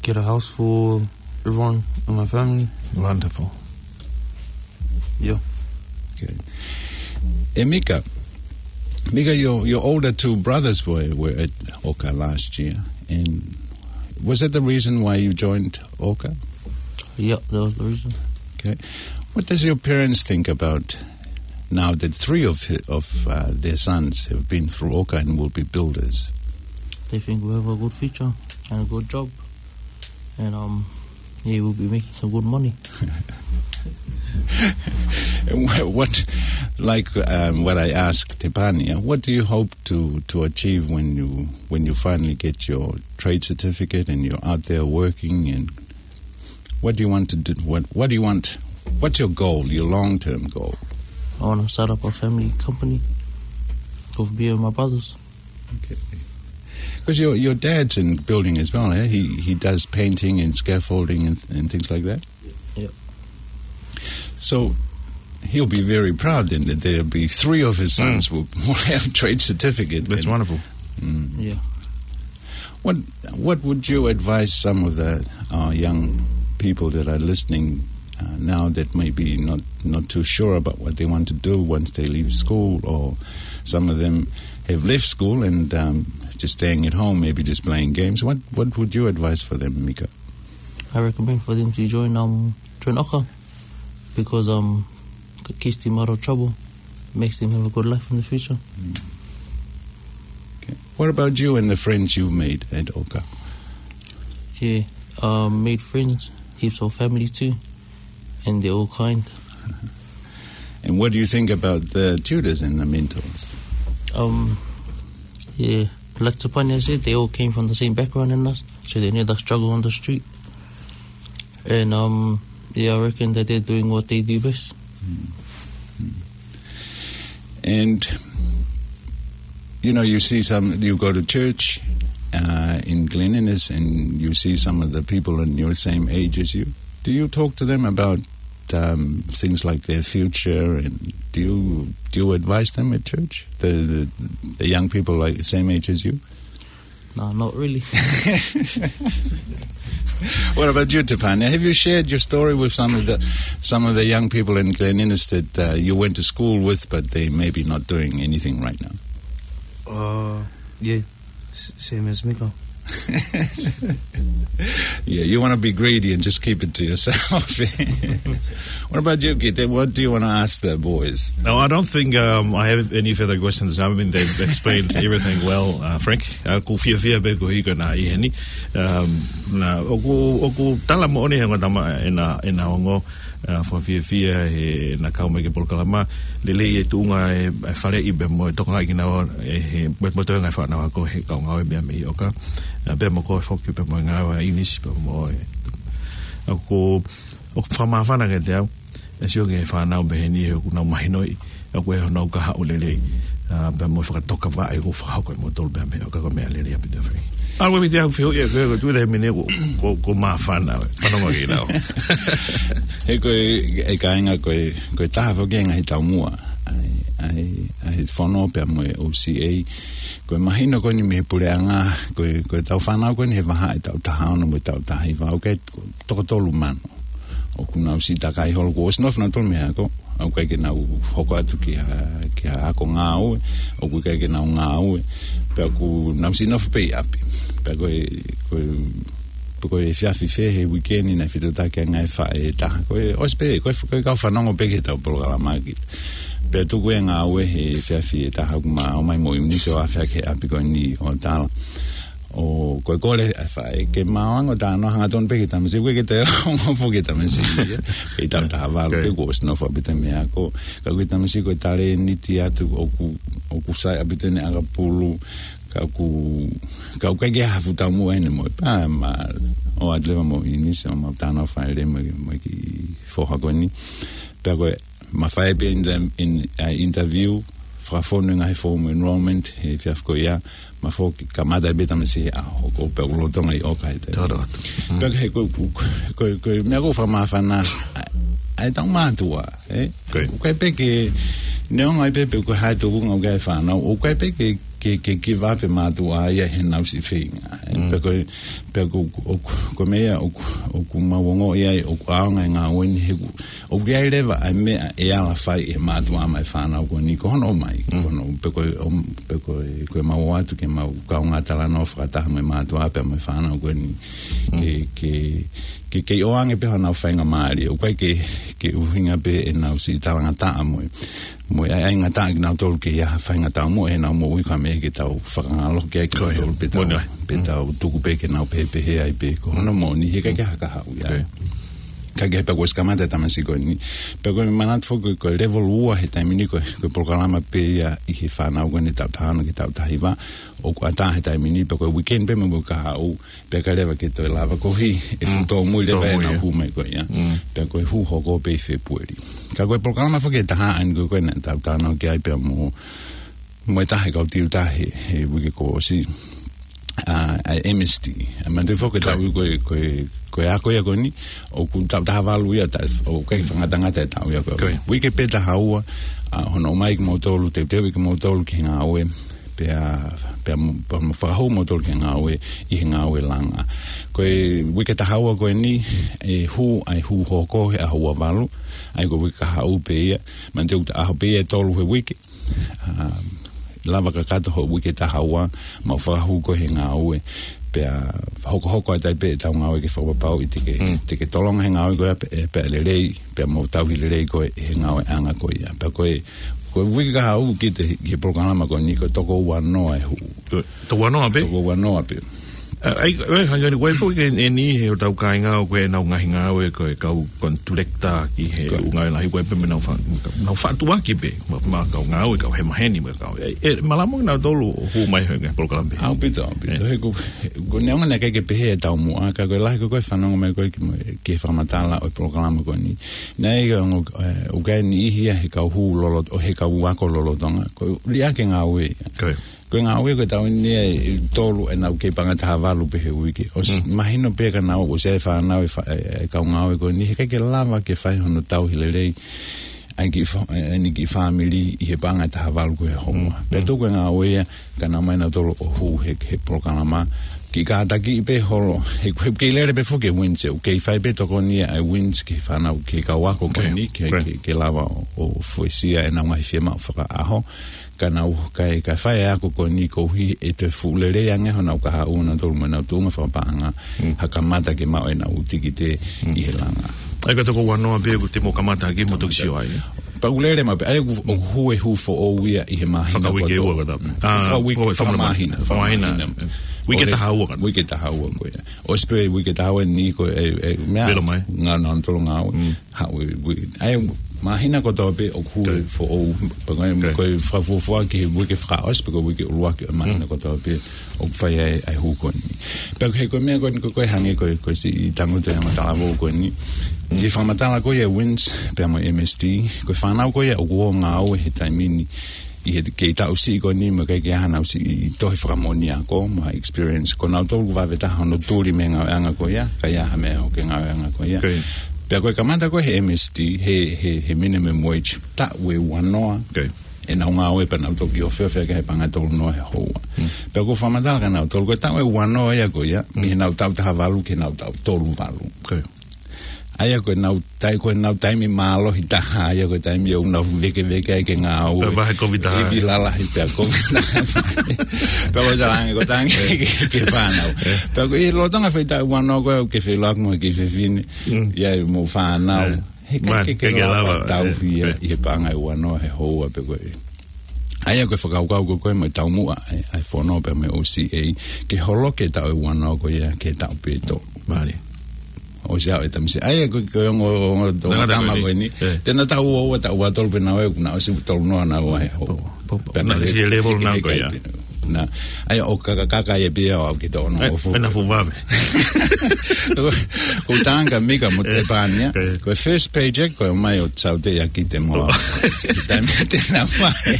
get a house for everyone in my family. Wonderful. Yeah. Okay. And Mika, Mika, your, your older two brothers were, were at Oka last year. And was that the reason why you joined Oka? Yeah, that was the reason. Okay. What does your parents think about now that three of hi-, of, uh, their sons have been through Oka and will be builders? They think we have a good future and a good job. And, um, yeah, we'll be making some good money. And wha-, what, like, um, what I asked Tepania, what do you hope to, to achieve when you, when you finally get your trade certificate and you're out there working, and what do you want to do? What, what do you want? What's your goal, your long-term goal? I wanna start up a family company with me and my brothers. Okay. 'Cause your, your dad's in building as well, eh? He, he does painting and scaffolding and, and things like that? Yep. So he'll be very proud then that there'll be three of his sons will, will have trade certificate. That's wonderful. Yeah. What, what would you advise some of the, uh, young people that are listening, uh, now that may be not, not too sure about what they want to do once they leave school, or some of them have left school and, um, just staying at home, maybe just playing games? What, what would you advise for them, Mika? I recommend for them to join, um, join Oka because, um, it keeps them out of trouble, makes them have a good life in the future. Okay. What about you and the friends you've made at Oka? Yeah, um, made friends, heaps of family too, and they're all kind. And what do you think about the tutors and the mentors? Um, yeah, like Tepania said, they all came from the same background as us, so they know the struggle on the street. And, um, yeah, I reckon that they're doing what they do best. And, you know, you see some, you go to church, uh, in Glen Innes, and you see some of the people in your same age as you. Do you talk to them about, um, things like their future, and do you, do you advise them at church? The, the, the young people, like, same age as you? No, not really. What about you, Tepania? Have you shared your story with some of the, some of the young people in Glen Innes that, uh, you went to school with, but they may be not doing anything right now? Uh, yeah, s-, same as Mika. Yeah, you wanna be greedy and just keep it to yourself. What about you, Kite? What do you wanna ask the boys? No, I don't think, um, I have any further questions. I mean, they've explained everything well, uh, Frank. Uh, ʻoku fiefia pē ko e hiko na ʻi heni. Um, na, ʻoku, ʻoku tala moʻoni he ongo tama ʻena, ʻena ongo, uh, fakafiefia he na kau mai ki he polokalama. Lelei e tuʻunga e, e faleʻi pea mo e tokangaʻi kinaua ʻe he, mo e, mo e toenga e fānau ako he kau ngāue meʻa mei Oka. Uh, pea mo koe foki pea mo e ngāue ʻa ʻInisi pea mo e. ʻOku, ʻoku fakamāfana kiate au. ʻE sio ki he fānau mei heni he ʻoku nau mahinoʻi, ʻoku ʻi ai honau kahaʻu lelei, ā, pea mo e fakatokavaʻe ʻoku fakahoko ʻe moutolu pea mei Oka, ko e meʻa lelei ʻaupito, Frank. ʻA, ko e miti au fio ia, ko e, ko e tuʻu he mene ko, ko, ko māfana, fanongo ki lau. He ko e, e kāinga ko e, ko e taha foki e ngaahi taumuʻa ʻa e, ʻa e, ʻa e fono pea mo e O C A. Ko e mahino ko eni mei he puleʻanga, ko e, ko e tau fānau ko eni he vahaʻa ʻe taʻu taha ono mo e taʻu taha hiva, ʻoku ʻi ai e toko tolu mano. ʻOku nau siʻi takai holo, kuo ʻosi nofo nautolu mei he ako. ʻOku ʻikai ke nau hoko atu ki ha, ki ha ako ngāue. ʻOku ʻikai ke nau ngāue. Pea ʻoku nau siʻi nofo pē ʻi ʻapi. Pea ko e, ko e pe ko e efiafi fē he uike ni naʻe fetotaki ai e ngaahi faʻē ʻe taha. Ko e ʻosi pē, ko e, ko e kau fanongo pē ki heʻetau polokalama ki. Pea tuku e ngāue he efiafi ʻe taha ʻoku ma ōmai mo ʻIunise ʻo afe hake he ʻapi ko eni ʻo tala. ʻO ko e kole ʻa e faʻē ke maʻu ange ʻo talanoa hangatonu pē ki he tamasiʻi, ʻoku ʻikai ke toe ongo foki e tamasiʻi ia. Kei taʻu taha valu pē kuo ʻosi nofo ʻaupito mei he ako. Ka ko e tamasiʻi ko e talēniti atu ʻoku, ʻoku sai ʻaupito ʻene ʻakapulu. Ka ʻoku, ka ʻoku ʻikai ke ha fuʻu taumuʻa ʻene moʻui. Pea ma ō atu leva mo ʻIunise ʻo mau talanoa fakalelei mo e, mo e kiʻi foha ko eni. Pea ko e ma fai pē in the, in, uh, interview, fakafonu e ngaahi form enrollment he efiafi ko ia, ma foki kamata pē tamasiʻi he ʻaho hoko pea ʻoku lolotonga ʻi ʻOka he taimi. Toro atu. Mm. Pea ko e, ko, ko, ko, ko e meʻa ʻoku fakamāfana, ʻa, ʻa ʻetau mātuʻa, ē? Ko e. ʻOku ʻikai pē ke, neongo ai pē pe ko e hā e tūkunga ʻoku ʻi ai e fānau, ʻoku ʻikai pē ke, ke, ke give up e mātuʻa ia heʻenau siʻi feinga, ē? Mm. Pea ko e, pea ko, ko, ko e meʻa ʻoku, ʻoku mau ongoʻi ai, ʻoku ʻaonga e ngāue ni he ʻoku ʻoku ʻi ai leva ʻa e meʻa ʻe ala fai ʻe he mātuʻa maʻa e fānau ko eni, ko hono ʻomai, mm, ko hono, pe ko e, ʻom, pe ko e, ko e mau ō atu ke mau kaungā talanoa fakataha mo e mātuʻa pea mo e fānau ko eni. Mm. Ke, ke, ke, ke ʻoange pē honau faingamālie. ʻOku ʻikai ke, ke ʻuhinga pē ʻenau siʻi talangataʻa mo e, mo e ʻai, ʻai ngataʻa kinautolu ke ʻi ai ha faʻahinga taumuʻa heʻenau moʻui ka mei he ke tau fakangalohi ai kinautolu pea tau, pea tau tuku pē ke nau pehē pehē ai pē. Ko hono moʻoni, he ʻikai ke ha kahaʻu ia. Ka ke pea kuo ʻosi kamata e tamasiʻi ko eni. Pea ko e manatu foki ko e level ua he taimi ni ko e, ko e polokalama pē ia ʻi he fānau ko eni taʻu taha ono ki he taʻu taha hiva. ʻOku ʻatā he taimi ni, pea ko e weekend pē mo e kahaʻu, pea ʻikai leva ke toe lava koeʻuhi e fuʻu tōmui leva ʻenau hū mai ko ia. Pea ko e hū hoko pē ʻi Fēpueli. Ka ko e polokalama foki ʻe taha ʻeni ko e ko e naʻa tau talanoa ki ai pea mo, mo e taha e kau tiuta he, he uike kuo ʻosi. ʻA, ʻa e M S T. ʻA, manatu foki taʻu ko e, ko e, ko e ako ia ko eni, ʻoku taʻu taha valu ia, ʻoku ʻikai fakangatangata e taʻu ia ko e. Uike pē taha ua, ʻa, hono ʻomai kimoutolu, teuteuʻi kimoutolu ki he ngāue, pea, pea mo, pea mo fakahū moutolu ki he ngāue, ʻi he ngāue langa. Ko e uike taha ua ko eni, ʻe hū, ʻa e hū hoko he ʻaho ua valu, ʻa ia ko e uike kahaʻu pē ia, manatu ʻoku ʻaho pē ia ʻe tolu he uike, ʻa, lava kakato hoʻo uike taha ua, mau fakahū koe he ngāue, pea hokohoko atu ai pē ʻetau ngāue ke fakapapauʻi te ke, te ke tolonga he ngāue ko ia pea, pea lelei, pea mau tauhi lelei koe he ngāueʻanga ko ia. Pea ko e, ko e uike kahaʻu ki he, ki he polokalama ko eni ko e toko ua noa e hū. Toko ua noa pē? Toko ua noa pē. ʻA, ʻai, ʻai, hangē ni, ko e foki eni he ʻetau kāinga ʻoku ʻi ai ʻenau ngaahi ngāue ko e kau contractor ki he ʻū ngāue lahi ko e pē mo ʻenau fa-, ʻenau faʻa tuʻuaki pē, mo, mo e kau ngāue, kau hemaheni, mo e kau, ʻe, ʻe malava kinautolu ʻo hū mai he ngaahi polokalama pē. ʻAupito, ʻaupito. He ko, ko e neongo naʻe ʻikai ke pehē e taumuʻa, ka ko e lahi ko e, ko e fanongo mai ko e ki mo, ki he fakamatala ʻo e polokalama ko eni. Naʻe ʻi ai ʻa e ongo, ʻe, ʻoku ʻi ai e niʻihi ia he kau hū loloto-, ʻo he kau ako lolotonga. Ko e liʻaki e ngāue. Ko e ngāue ko e taʻu eni ʻe tolu ʻenau kei paʻanga ʻe taha valu pē he uike. ʻOsi mahino pē ka nau ʻosi ʻi ai e fānau e fa-, e, e kau ngāue ko eni he ʻikai ke lava ke fai hono tauhi lelei ʻa e kiʻi fa-, e, ʻa e kiʻi fāmili ʻi he paʻanga ʻe taha valu ko e houa. Pea tuku e ngāue ia ka nau ō mai nautolu ʻo hū he, he polokalama. Kiʻi kātakiʻi pē holo, he, he kei lele pē foki e WINZ, ʻoku kei fai pē tokoni ʻa e WINZ ki he fānau, ki he kau ako ko eni, ke, ke, ke lava ʻo, ʻo fuesia ʻenau ngaahi fiemaʻu fakaʻaho. Ka nau, kae, kae fai e ako ko eni koeʻuhi ʻe toe fuʻu lelei ange honau kahaʻu nautolu mo ʻenau tuʻunga fakapaʻanga, ha kamata ke maʻu ʻenau tikite ʻi he langa. ʻA ia ko e toko ua noa pē ʻoku te mou kamata ʻaki mo toki sio ai. Pea ʻoku lele maʻu pē, ʻa ia ʻoku, ʻoku hū e hū foʻou ia ʻi he māhina kotoa. Fakauike ua ka tapu. Fakauike, fakamāhina, fakamāhina. Uike taha ua ka tapu. Uike taha ua ko ia. ʻOsi pē uike taha ua ni ko e, e, meʻa. Vela mai. Ngā, ngā tolo ngā ua. Haʻu e, ui, ʻa ia, māhina kotoa pē ʻoku hū e foʻou, pea ko e, ko e fakafuofua ki he uike fakaʻosi, pe ko e uike ʻuluaki ʻo e māhina kotoa pē ʻoku fai ai ʻa e hū ko eni. Pea ko e, ko e meʻa ko eni, ko e, ko e hangē ko e, ko e siʻi tangutu e ongo talavou ko eni. ʻI he fakamatala ko ia e WINZ, pea mo e M S T, ko e fānau ko ia ʻoku ō ʻo ngāue he taimi ni, ʻi he kei taʻu siʻi ko eni mo e kei ʻi ai hanau siʻi tohi fakamoʻoni ako, mo ha experience, ko nautolu ʻoku vave taha hono tuli mei he ngāueʻanga ko ia, ka ʻi ai ha meʻa ʻoku ke ngāueʻanga ko ia. Pea ko e kamata ko ē he M S T, he, he, he minimum wage, taʻu ʻe ua noa, ʻenau ngāue pea nau toki ofeofe ʻaki he paʻanga ʻe tolu noa he houa. Pea ʻoku fakamatala kia nautolu, ko e taʻu ʻe ua noa ia ko ia, mei heʻenau taʻu taha valu ki heʻenau taʻu tolu valu. ʻA ia ko ʻenau tai-, ko ʻenau taimi mālohi taha, ʻa ia ko e taimi ʻoku nau vekeveke ai ke ngāue. Pea vahe kovi taha. Ivi lalahi pea kovi taha. Pea ko e talange ko tangi ke, ke fānau. Pea ko e lolotonga e faʻahitaʻu ua noa ko ē ʻoku ke feʻiloaki mo e kiʻi fefine. Mm. ʻI ai mo e fānau. He ʻikai ke, ke lava tauhi ia ʻi he paʻanga ʻe ua noa he houa pē ko ē. ʻA ia ko e fakakaukau ko ē ko ē mo e taumuʻa ʻa e, ʻa e fono pea mo e O C A, ke holoki e taʻu ʻe ua noa ko ia ki he taʻu pē ʻe tolu. Mālie. ʻOsi ʻa e tamasiʻi. ʻA ia ko e, ko e ongo, ongo, ongo tangata tama ko eni. Te na taʻu ua ua, taʻu ua tolu pē naua ʻoku na ʻosi tolu noa naua he houa. Pea na ʻosi he level naua ko ia. Na, ʻa ia ʻoku kakakaka ia pē au ke tō no. Pea na fuʻu vave. Ko Tanga, Mika mo Tepania. Ko e first paycheck ko e mai ʻo Saute ia ki te moa. Taimi te na mai.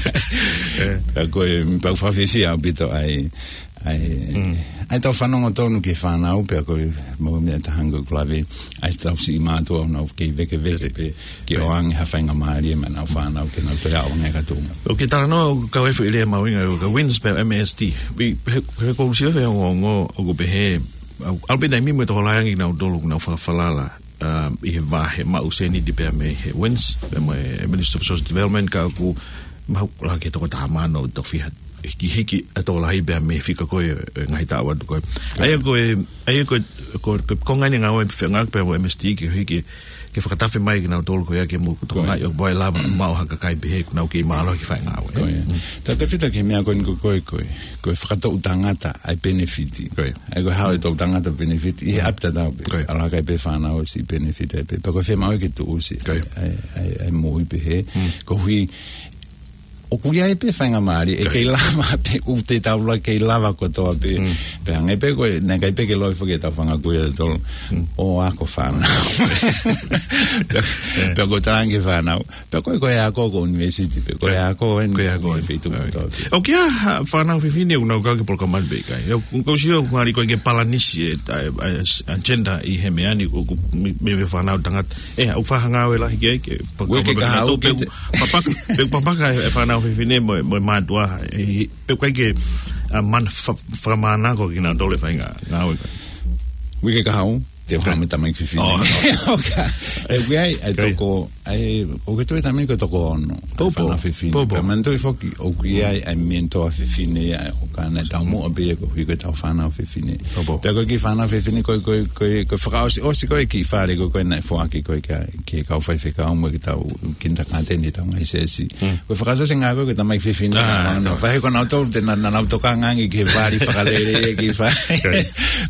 Pea ko e, pea ʻoku fakafisi ʻaupito ai. ʻA e, ʻa e tau fanongo tonu ki he fānau, pea ko e mau mea tahango kulavi, ʻa e tau siʻi mātuʻa ʻoku nau kei vekeveke pē ke ʻoange ha faingamālie maʻa ʻenau fānau ke nau toe ʻaonga e katuʻunga. ʻOku ke talanoa ʻoku kau e foʻi lea mahuʻinga ʻo ka WINZ pea M S T. Pea, he, he ʻoku ou sio he ongoongo ʻoku pehē, ʻalu pē taimi mo e tokolahi ange kinautolu ʻoku nau fakafalala ʻi he vahe maʻu sēniti pea mei he WINZ, pea mo e Minister of Social Development, ka ʻoku mahuʻinga ke toko taha mano ʻo tofiha hikihiki ʻa e tokolahi pea mei he fika ko ē ʻo e ngaahi taʻu atu ko ē. ʻA ia ko e, ʻa ia ko e, ko e, ko e konga eni e ngāue fengāueʻaki pea mo M S T ke hiki, ke fakatafe mai kinautolu ko ia ke mou tokangaʻi ʻo ʻai lava maʻu ha kakai pehē ʻoku nau kei mālohi ke fai e ngāue. Ko ia. Tautefito ki he meʻa ko eni ko e, ko e, ko e fakatoʻu tangata ʻa e penefiti. Ko ia. ʻA ia ko e hao e toʻu tangata penefiti, ʻi he ʻapi tatau pē. Ko ia. ʻAlu ha kakai pē fānau ʻosi penefiti ai pē. Pea ko e fiemaʻu ke tuʻusi. Ko ia. ʻA e, ʻa e, ʻa e moʻui pehē. Koeʻuhi, ʻoku ʻi ai pē faingamālie, ʻe kei lava pē, ʻoku te tau la kei lava kotoa pē. Pea hangē pē ko e, naʻe ʻikai pē ke loi foki e tau fanga kui ʻa tolu. ʻO ako fānau. Pea, pea ko e talange fānau. Pea ko e, ko e ako ko university pē, ko e ako eni, ko e ako eni. Feituʻu kotoa pē. ʻOku ʻi ai ha fānau fefine ʻoku nau kau ki he polokalama ni pe ʻikai? ʻOku, ʻoku ou sio ʻoku ngali ko e ke palanisi e, ʻa e, ʻa e, ʻa e gender ʻi he meʻa ni ʻoku, ʻoku mei, mei he fānau tangata. ʻE, ʻoku faʻa ngāue lahi ki ai ke, ʻoku ke kahaʻu ke tau pē ʻoku papaka, pē ʻoku papaka e fānau fefine mo, mo e mātuʻa, ʻe, pē ʻoku ʻikai ke, ʻa, man-, fa-, fakamānako kinautolu e fai ngā, ngāue ko ē. ʻOku ke kahaʻu? Te u haʻu mo e tamaiki fefine. ʻOku ʻi ai, ʻa e toko, ʻa e, ʻoku ke tui e taimi ko e toko ono. Pōpō. Fānau fefine. Pōpō. Pea manatuʻi foki, ʻoku ʻi ai, ʻa e mentor fefine, ʻa e ʻoku ʻi ai e taumuʻa pē ia koeʻuhi ko e tau fānau fefine. Pōpō. Pea ko e kiʻi fānau fefine, ko e, ko e, ko e, ko e fakaʻosiʻosi ko ē kiʻi fale ko ē ko ē naʻe foaki ko ē ki he, ki he kau faifekau mo e kiʻi tau, kindergarten ʻi he tau ngaahi siasi. Ko e fakaʻosiʻosi ngā ko ē ko e tamaiki fefine. Fai ko nautolu te na, na, nau tokanga ange ki he vali fakalele, ki he fai.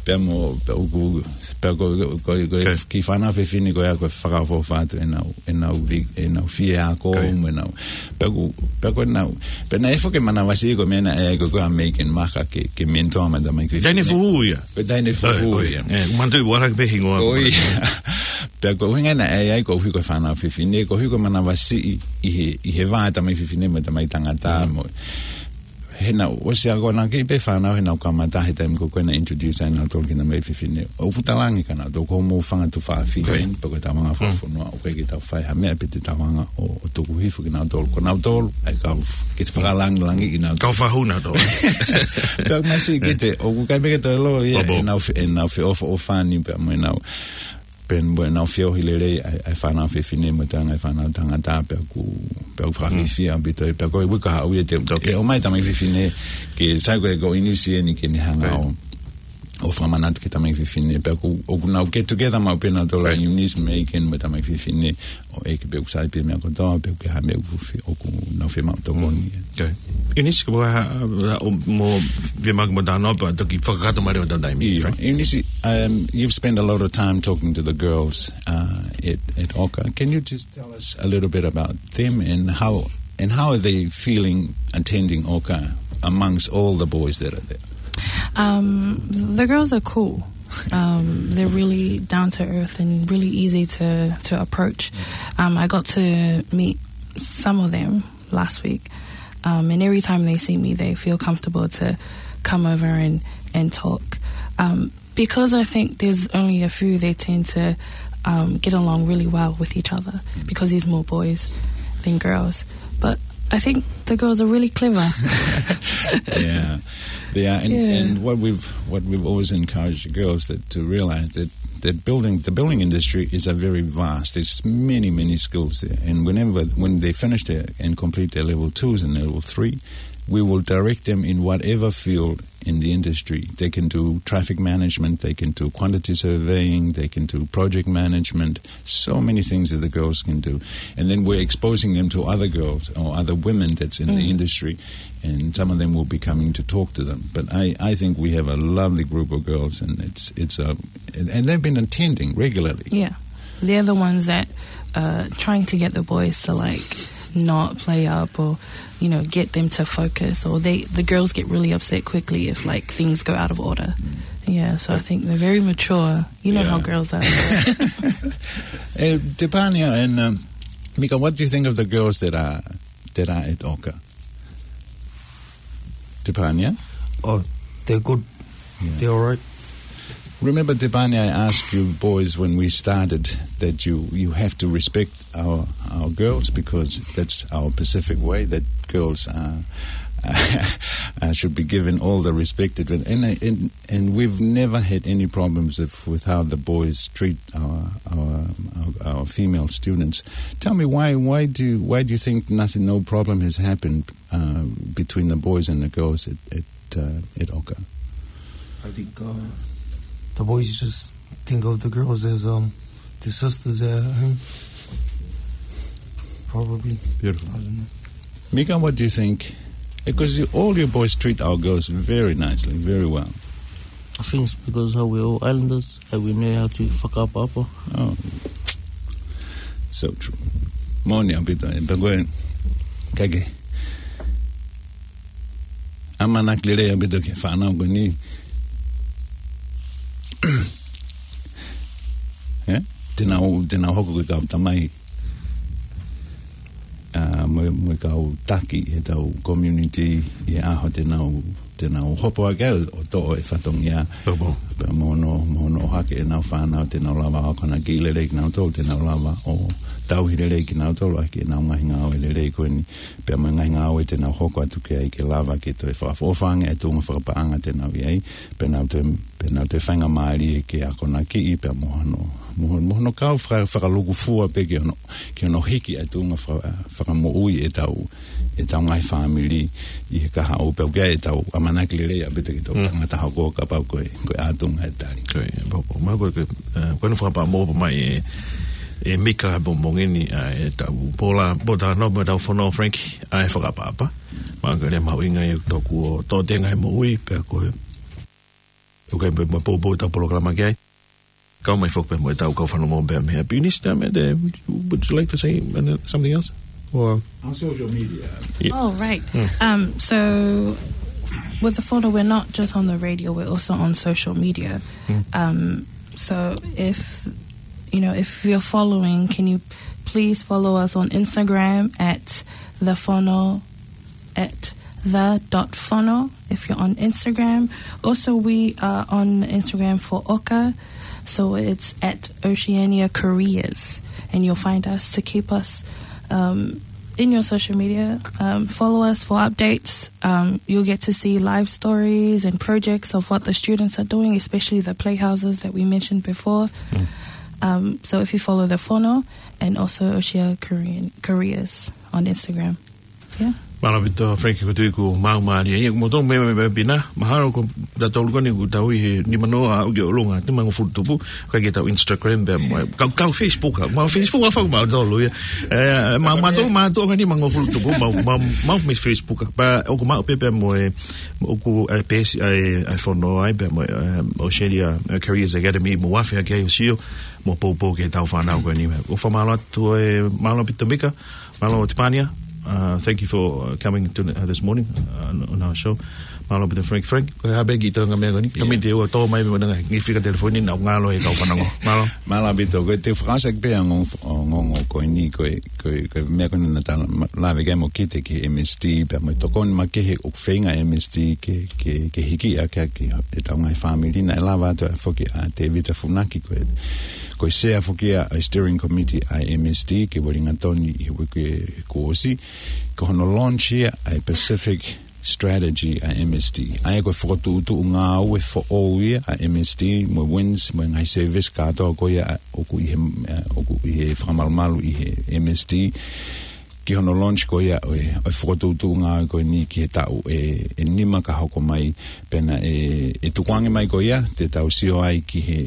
Pea mo, pea ʻoku, pea ko, ko, ko, ko e kiʻi fānau fefine ko ia ko e fakaʻofoʻofa atu ʻenau, ʻenau vi-, ʻenau fie ako mo ʻenau. Pea ko, pea ko ʻenau. Pea naʻe foki e manavasiʻi ko e meʻa naʻe ʻai ko ē ko ē ʻa Megan Maka ke, ke mentor mai tamaiki fefine. Taʻahine Fuhu ia. Ko e taʻahine Fuhu ia. ʻE, manatuʻi ʻoku ʻalu hake pē hingoa. Ko ia. Pea ko e ʻuhinga naʻe ʻai ai koeʻuhi ko e fānau fefine, koeʻuhi ko e manavasiʻi ʻi he, ʻi he vā e tamaiki fefine mo e tamaiki tangata mo. He naʻa ku ʻosi ako naʻe kei pē fānau he naʻa ku kamata he taimi ko ē ko ē naʻe introduce ai nautolu ki he tamaiki fefine. ʻOku ou talaange kia nautolu ko hoʻomou fanga tuofāfine eni, pe ko e tau fanga fakafonua, ʻoku ʻikai ke tau fai ha meʻa pe te tau hanga ʻo, ʻo tuku hifo kinautolu. Ko nautolu, ʻa e kau f-, ke te fakalāngilangiʻi kinautolu. Kau fahu nautolu. Pea masiʻi kiate, ʻoku ʻikai pē ke toe ʻilo ia, ʻenau fe-, ʻenau feʻofoʻofani pea mo ʻenau pea mo ʻenau feohi lelei ʻa e, ʻa e fānau fefine mo e toenga e fānau tangata pea ʻoku, pea ʻoku fakafiefia ʻaupito ia pea ko e uike kahaʻu ia te, ʻe ʻomai tamaiki fefine ke sai ko e ko ʻInisi eni ke ne hanga ʻo, ʻo fakamanatu ki he tamaiki fefine pea ʻoku, ʻoku nau get together maʻu pē nautolu ʻa ʻInisi, Megan mo e tamaiki fefine ʻo ʻeke pe ʻoku sai pē meʻa kotoa pe ʻoku ʻi ai ha meʻa ʻoku fi-, ʻoku nau fiemaʻu tokoni. ʻInisi, ko e hā, hā, ʻo mo fiemaʻu ke mo talanoa pea toki fakakakato mai leva ʻetau taimi. ʻInisi, um, you've spent a lot of time talking to the girls, uh, at, at Oka. Can you just tell us a little bit about them and how, and how are they feeling attending Oka amongst all the boys that are there? Um, the girls are cool. Um, they're really down to earth and really easy to, to approach. Um, I got to meet some of them last week. Um, and every time they see me, they feel comfortable to come over and, and talk. Um, because I think there's only a few, they tend to, um, get along really well with each other because there's more boys than girls. But I think the girls are really clever. Yeah, they are. And, and what we've, what we've always encouraged the girls that, to realize that that building, the building industry is a very vast. There's many, many skills there. And whenever, when they finish their, and complete their level twos and level three, we will direct them in whatever field in the industry. They can do traffic management, they can do quantity surveying, they can do project management, so many things that the girls can do. And then we're exposing them to other girls or other women that's in the industry, and some of them will be coming to talk to them. But I, I think we have a lovely group of girls, and it's, it's a, and, and they've been attending regularly. Yeah. They're the ones that are trying to get the boys to, like, not play up or, you know, get them to focus. Or they, the girls get really upset quickly if, like, things go out of order. Yeah, so I think they're very mature. You know how girls are. Eh, Tepania and, um, Mika, what do you think of the girls that are, that are at Oka? Tepania? Oh, they're good. Yeah. They're all right. Remember, Tepania, I asked you boys when we started that you, you have to respect our, our girls, because that's our Pacific way, that girls are, uh, should be given all the respect. And, and, and we've never had any problems with, with how the boys treat our, our, our, our female students. Tell me, why, why do you, why do you think nothing, no problem has happened, uh, between the boys and the girls at, at, uh, at Oka? I think, uh, the boys just think of the girls as, um, the sisters at home. Probably. Beautiful. I don't know. Mika, what do you think? Because you, all your boys treat our girls very nicely, very well. I think it's because how we're all islanders, and we know how to fakaʻapaʻapa. Oh. So true. Moʻoni ʻaupito, ē, pea ko e, kae ke ʻamanaki lelei ʻaupito ki he fānau ko eni. Ē? Te nau, te nau hoko ko e kau tamai, ā, mo e, mo e kau taki ʻi heʻetau community ʻi he ʻaho te nau, te nau hopo hake ai ʻo toʻo e fatongia. Hopo. Pea mo hono, mo hono ʻohake ʻenau fānau, te nau lava ʻo akonakiʻi lelei kinautolu, te nau lava ʻo tauhi lelei kinautolu ʻaki ʻenau ngaahi ngāue lelei ko eni. Pea mo e ngaahi ngāue te nau hoko atu ki ai ke lava ke toe fakaʻofoʻofa ange e tuʻunga fakapaʻanga te nau ʻi ai. Pea nau toe, pea nau toe faingamālie ke akonakiʻi pea mo hono, mo, mo hono kau faka-, fakalūkufua pē ki hono, ki hono hiki e tuʻunga faka-, fakamoʻui ʻetau, ʻetau ngaahi fāmili ʻi he kahaʻu pea ʻoku ʻi ai ʻetau ʻamanaki lelei ʻaupito ki heʻetau tangata hoko kapau ko e, ko e ʻatunga e tali. Ko e, pau, pau, ma ko e, eh, ko e fakapaʻanga mo mai e, e Mika mo Mongini, eh, ʻetau pola, pota no, mo ʻetau fono Frank, ʻa e fakaʻapaʻapa. Ma ko e lea mahuʻinga ia ʻoku tau kuo tō tenga e moʻui, pea ko e, ʻoku ʻi ai pē mo e poupou ʻetau polokalama ki ai. Kau mai foki pē mo ʻetau kau fanongo pē mei he Piunisi, Tamete, would you, would you like to say, uh, something else? Or on social media. Yeah. Oh, right. Um, so with the fono, we're not just on the radio, we're also on social media. Um, so if, you know, if you're following, can you please follow us on Instagram at the fono, at the dot fono if you're on Instagram. Also, we are on Instagram for Oka, so it's at Oceania Careers, and you'll find us to keep us, um, in your social media. Um, follow us for updates. Um, you'll get to see live stories and projects of what the students are doing, especially the playhouses that we mentioned before. Um, so if you follow the fono and also Oceania Career-, Careers on Instagram. Yeah. Mālō ʻaupito, Frank, ko e tui ʻoku mau mālie ia, mo tō me, me, me pina, mahalo ko tautolu ko eni ʻoku tau ʻi he nima noa ʻo aʻu ki ʻolunga, nimangofulu tupu, ka ʻi heʻetau Instagram pea mo e, kau, kau Facebook, mau Facebook ʻa fau mau tolu ia. Eh, mau, mau tō, mau tō ka nimangofulu tupu, mau, mau, mau mei Facebook, pea ʻoku mau pē pea mo e, ʻoku, eh, peesi, eh, eh, fono ai, pea mo, eh, Oceania, eh, Careers Academy, mo afe ake ai ʻo sio, mo poupou ki heʻetau fānau ko eni. ʻOku fakamālō atu, eh, mālō ʻaupito Mika, mālō Tepania, uh, thank you for, uh, coming to, uh, this morning, uh, on, on our show. Mālō ʻaupito Frank, Frank, ko e hā pē kiʻi toenga meʻa ko eni? Yeah. Tamite ua tō mai mo nanga, ngi fika telefoni na ngalo e kau fanongo. Mālō. Mālō ʻaupito, ko e te fakaʻosi pē ʻa e ongo, ongo, ongo ko eni, ko e, ko e, ko e meʻa ko eni naʻa ta ma-, lave ki ai mo Kite ki he M S T, pea mo e tokoni makehe ʻoku feinga M S T ke, ke, ke hiki ʻaki ʻetau ngaahi fāmili, naʻe lava atu foki ʻa Tevita Funaki ko e, ko e sea foki ʻa e steering committee ʻa e M S T ke Uelingatoni ʻi he uike kuo ʻosi, ko hono launch ia ʻa e Pacific strategy ʻa e M S D. ʻA ia ko e fokotuʻutuʻu ngāue foʻou ia ʻa e M S D mo e WINZ mo e ngaahi service kātoa ko ia ʻoku ʻi he, ʻoku ʻi he fakamalumalu ʻi he M S D ki hono launch ko ia ʻo e, ʻo e fokotuʻutuʻu ngāue ko eni ki he taʻu ʻe, ʻe nima ka hoko mai. Pea naʻe, ʻe tukuange mai ko ia, te tau sio ai ki he,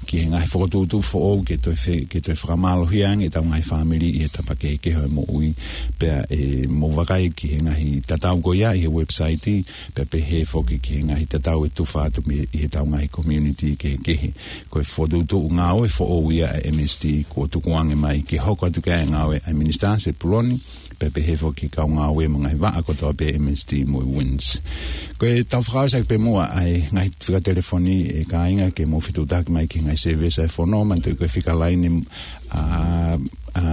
ki he ngaahi fokotuʻutuʻu foʻou ke toe fe-, ke toe fakamālohia ange ʻetau ngaahi fāmili ʻi he tapa kehekehe ʻo e moʻui. Pea ʻe mou vakai ki he ngaahi tatau ko ia ʻi he website, pea pehē foki ki he ngaahi tatau ʻe tufa atu mei, ʻi heʻetau ngaahi community kehekehe. Ko e fokotuʻutuʻu ngāue foʻou ia ʻa e M S D kuo tukuange mai ke hoko atu ki ai e ngāue ʻa e Minisitā Sepuloni, pea pehē foki ki he kau ngāue mo e ngaahi vaʻa kotoa pē M S D mo e WINZ. Ko ʻetau fakaʻosi ʻaki pē muʻa ʻa e ngaahi fika telefoni ʻe kāinga ke mou fetuʻutaki mai ki he ngaahi service ʻa e fono, manatuʻi ko e fika laine, ʻa, ʻa,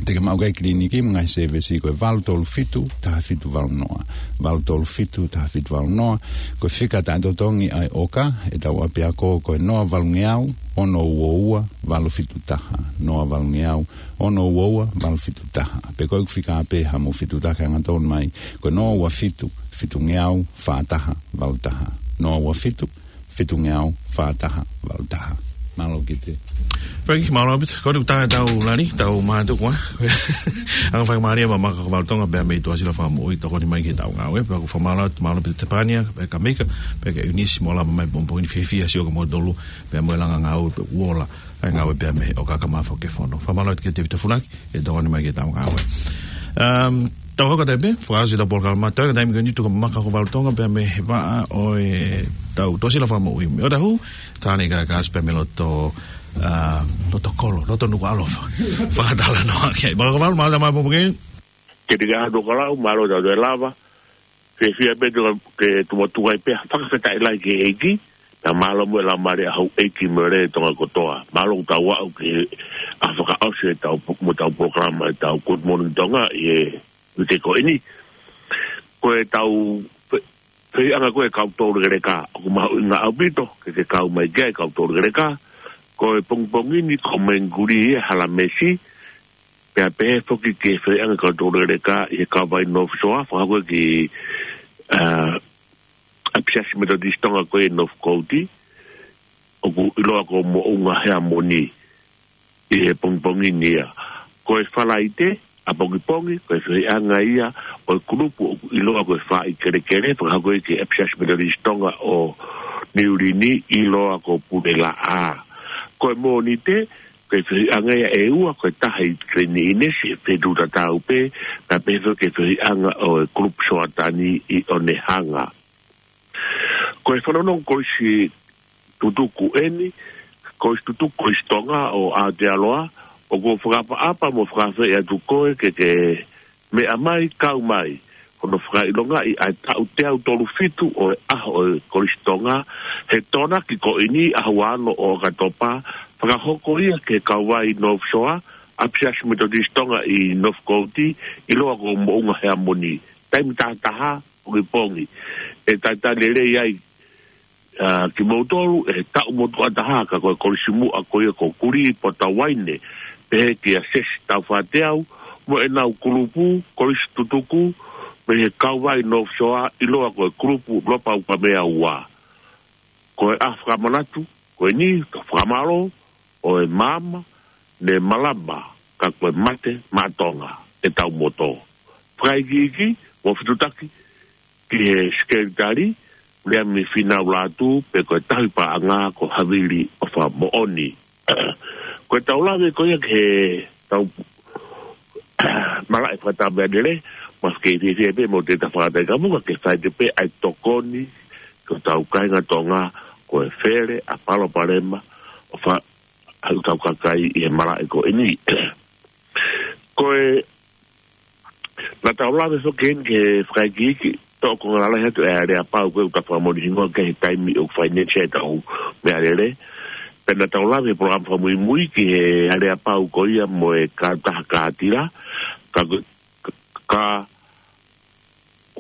te ke maʻu ki ai e kiliniki mo e ngaahi service ko e valu tolu fitu, taha fitu valu noa. Valu tolu fitu, taha fitu valu noa. Ko e fika taʻetotongi ʻa e ʻoka ʻetau ʻapiako ko e noa valungeau, ono ua ua, valu fitu taha. Noa valungeau, ono ua ua, valu fitu taha. Pe ko ʻeku fika pē haʻamou fetuʻutaki angatonu mai, ko e noa ua fitu, fitungeau, fā taha, valu taha. Noa ua fitu, fitungeau, fā taha, valu taha. Mālō Kite. Peki, mālō Pita. Ko ʻeku taha ʻetau lali, tau mātuku, ē? Anga fakamālie ʻa Maka Hovale Tonga, pea mei Tuʻasila Fakamoʻui, tokoni mai ki heʻetau ngāue. Pea ʻoku fakamālō, mālō Pita Tepania, pea kia Mika, pea kia ʻIunisi, mo lava mai pongipongi ni fiefia sio kia moutolu, pea mo e langa ngāue, pea ʻoku ola ʻa e ngāue pea mei he ʻoka ka mafo ke fono. Fakamālō atu kia Tevita Funaki, ʻe tokoni mai ki heʻetau ngāue. Um, tau hoko atu pē, fakaʻosi ʻetau polokalama, tau ka taimi ko eni tuku ʻa Maka Hovale Tonga, pea mei he vaʻa ʻo e tau Tuʻasila Fakamoʻui. Mei ʻOtahuhu, Tane Kakasi pea mei loto, uh, loto kolo, loto Nukuʻalofa. Fakatalanoa ki ai. Maka Hovale, mālō e tau maʻu pongipongi ni. Ke tika hatu ka lau, mālō e tau toe lava. Fiefia pē tuku ke tuku atu ai pē ha fakafetaʻi lahi ki he ʻEiki, pea mālō mo e laumālie ʻa houʻeiki mo e lea ʻa Tonga kotoa. Mālō ʻoku tau aʻu ki he fakaʻosi ʻetau, mo ʻetau polokalama ʻetau Good Morning Tonga ʻi he uike ko eni. Ko ʻetau fe-, fehiʻanga ko e kau toulekeleka, ʻoku mahuʻinga ʻaupito ke ke kau mai ki ai kau toulekeleka. Ko e pongipongi ni ko Menguli ʻi he Halamesi, pea pehē foki ki he fehiʻanga kau toulekeleka ʻi he Kauvai North Shore, fakahoko ki, ā, ʻApisiasi Metotisi Tonga ko ia ʻi Northcote, ʻoku ʻiloa ko Moʻunga Heamoni ʻi he pongipongi ni ia. Ko e Falaite, ʻapongipongi, ko e fehiʻanga ia ʻo e kulupu ʻoku ʻiloa ko e Faʻi Kelekele, fakahoko ki he ʻApisiasi Metotisi Tonga ʻo Niu Lini, ʻiloa ko Pulelaʻā. Ko e Mōnite, ko e fehiʻanga ia ʻe ua, ko e taha ʻi Kileni ʻInesi, fetuʻu tatau pē, pea pehē foki ki he fehiʻanga ʻo e kulupu Soatani ʻi Onehunga. Ko e fanongo kolisi tutuku eni, kolisi tutuku Kolisi Tonga ʻo Aotearoa, ʻoku ou fakaʻapaʻapa mo fakaafeʻi atu koe ke ke meʻa mai, kau mai, hono fakaʻilongaʻi ʻa e taʻu teau tolu fitu ʻo e ʻaho ʻo e Kolisi Tonga, he Tokonaki ko eni ʻaho ua ono ʻo ʻOkatopa, fakahoko ia ki he Kauvai North Shore, ʻApisiasi Metotisi Tonga ʻi Northcote, ʻiloa ko Moʻunga Heamoni. Taimi taha taha, pongipongi. ʻE talitali lelei ai, ā, kimoutolu, ʻe taʻu motuʻa taha, ka ko e kolisi muʻa ko ia ko Kuliʻi Potauaine, pehē kia Sesi Taufateau, mo ʻenau kulupu, kolisi tutuku, mei he Kauvai North Shore, ʻiloa ko e kulupu Lopa Ukamea Ua. Ko e ʻaho fakamanatu, ko eni, ka fakamālō, ʻo e maama, ne malama, ka ko e mate, maʻa Tonga, ʻetau moto. Fakaikiiki, mo fetuʻutaki, ki he Sekelitali, Liami Finau Lātū, pe ko e tauhi paʻanga ko Havili ʻOfamoʻoni. Ko ʻetau lave ko ia ki heʻetau malaʻe fakataha meʻalele, mou kei fiefia pē mo te ta fakataha ka muka ke fai atu pē ʻa e tokoni, ki hotau kāinga Tonga, ko e fele, ʻa palopalema, ʻo fa-, ʻa hotau kakai ʻi he malaʻe ko eni. Ko e, naʻa tau lave foki heni ki he fakaikiiki, toʻo konga lalahi atu e aleapau ko ē ʻoku ta fakamoʻoni hingoa ki he taimi ʻoku finance ai ʻetau meʻalele. Pea naʻa tau lave he polokalama fakamuimui ki he aleapau ko ia mo e kautaha kātila, ka, ka, ka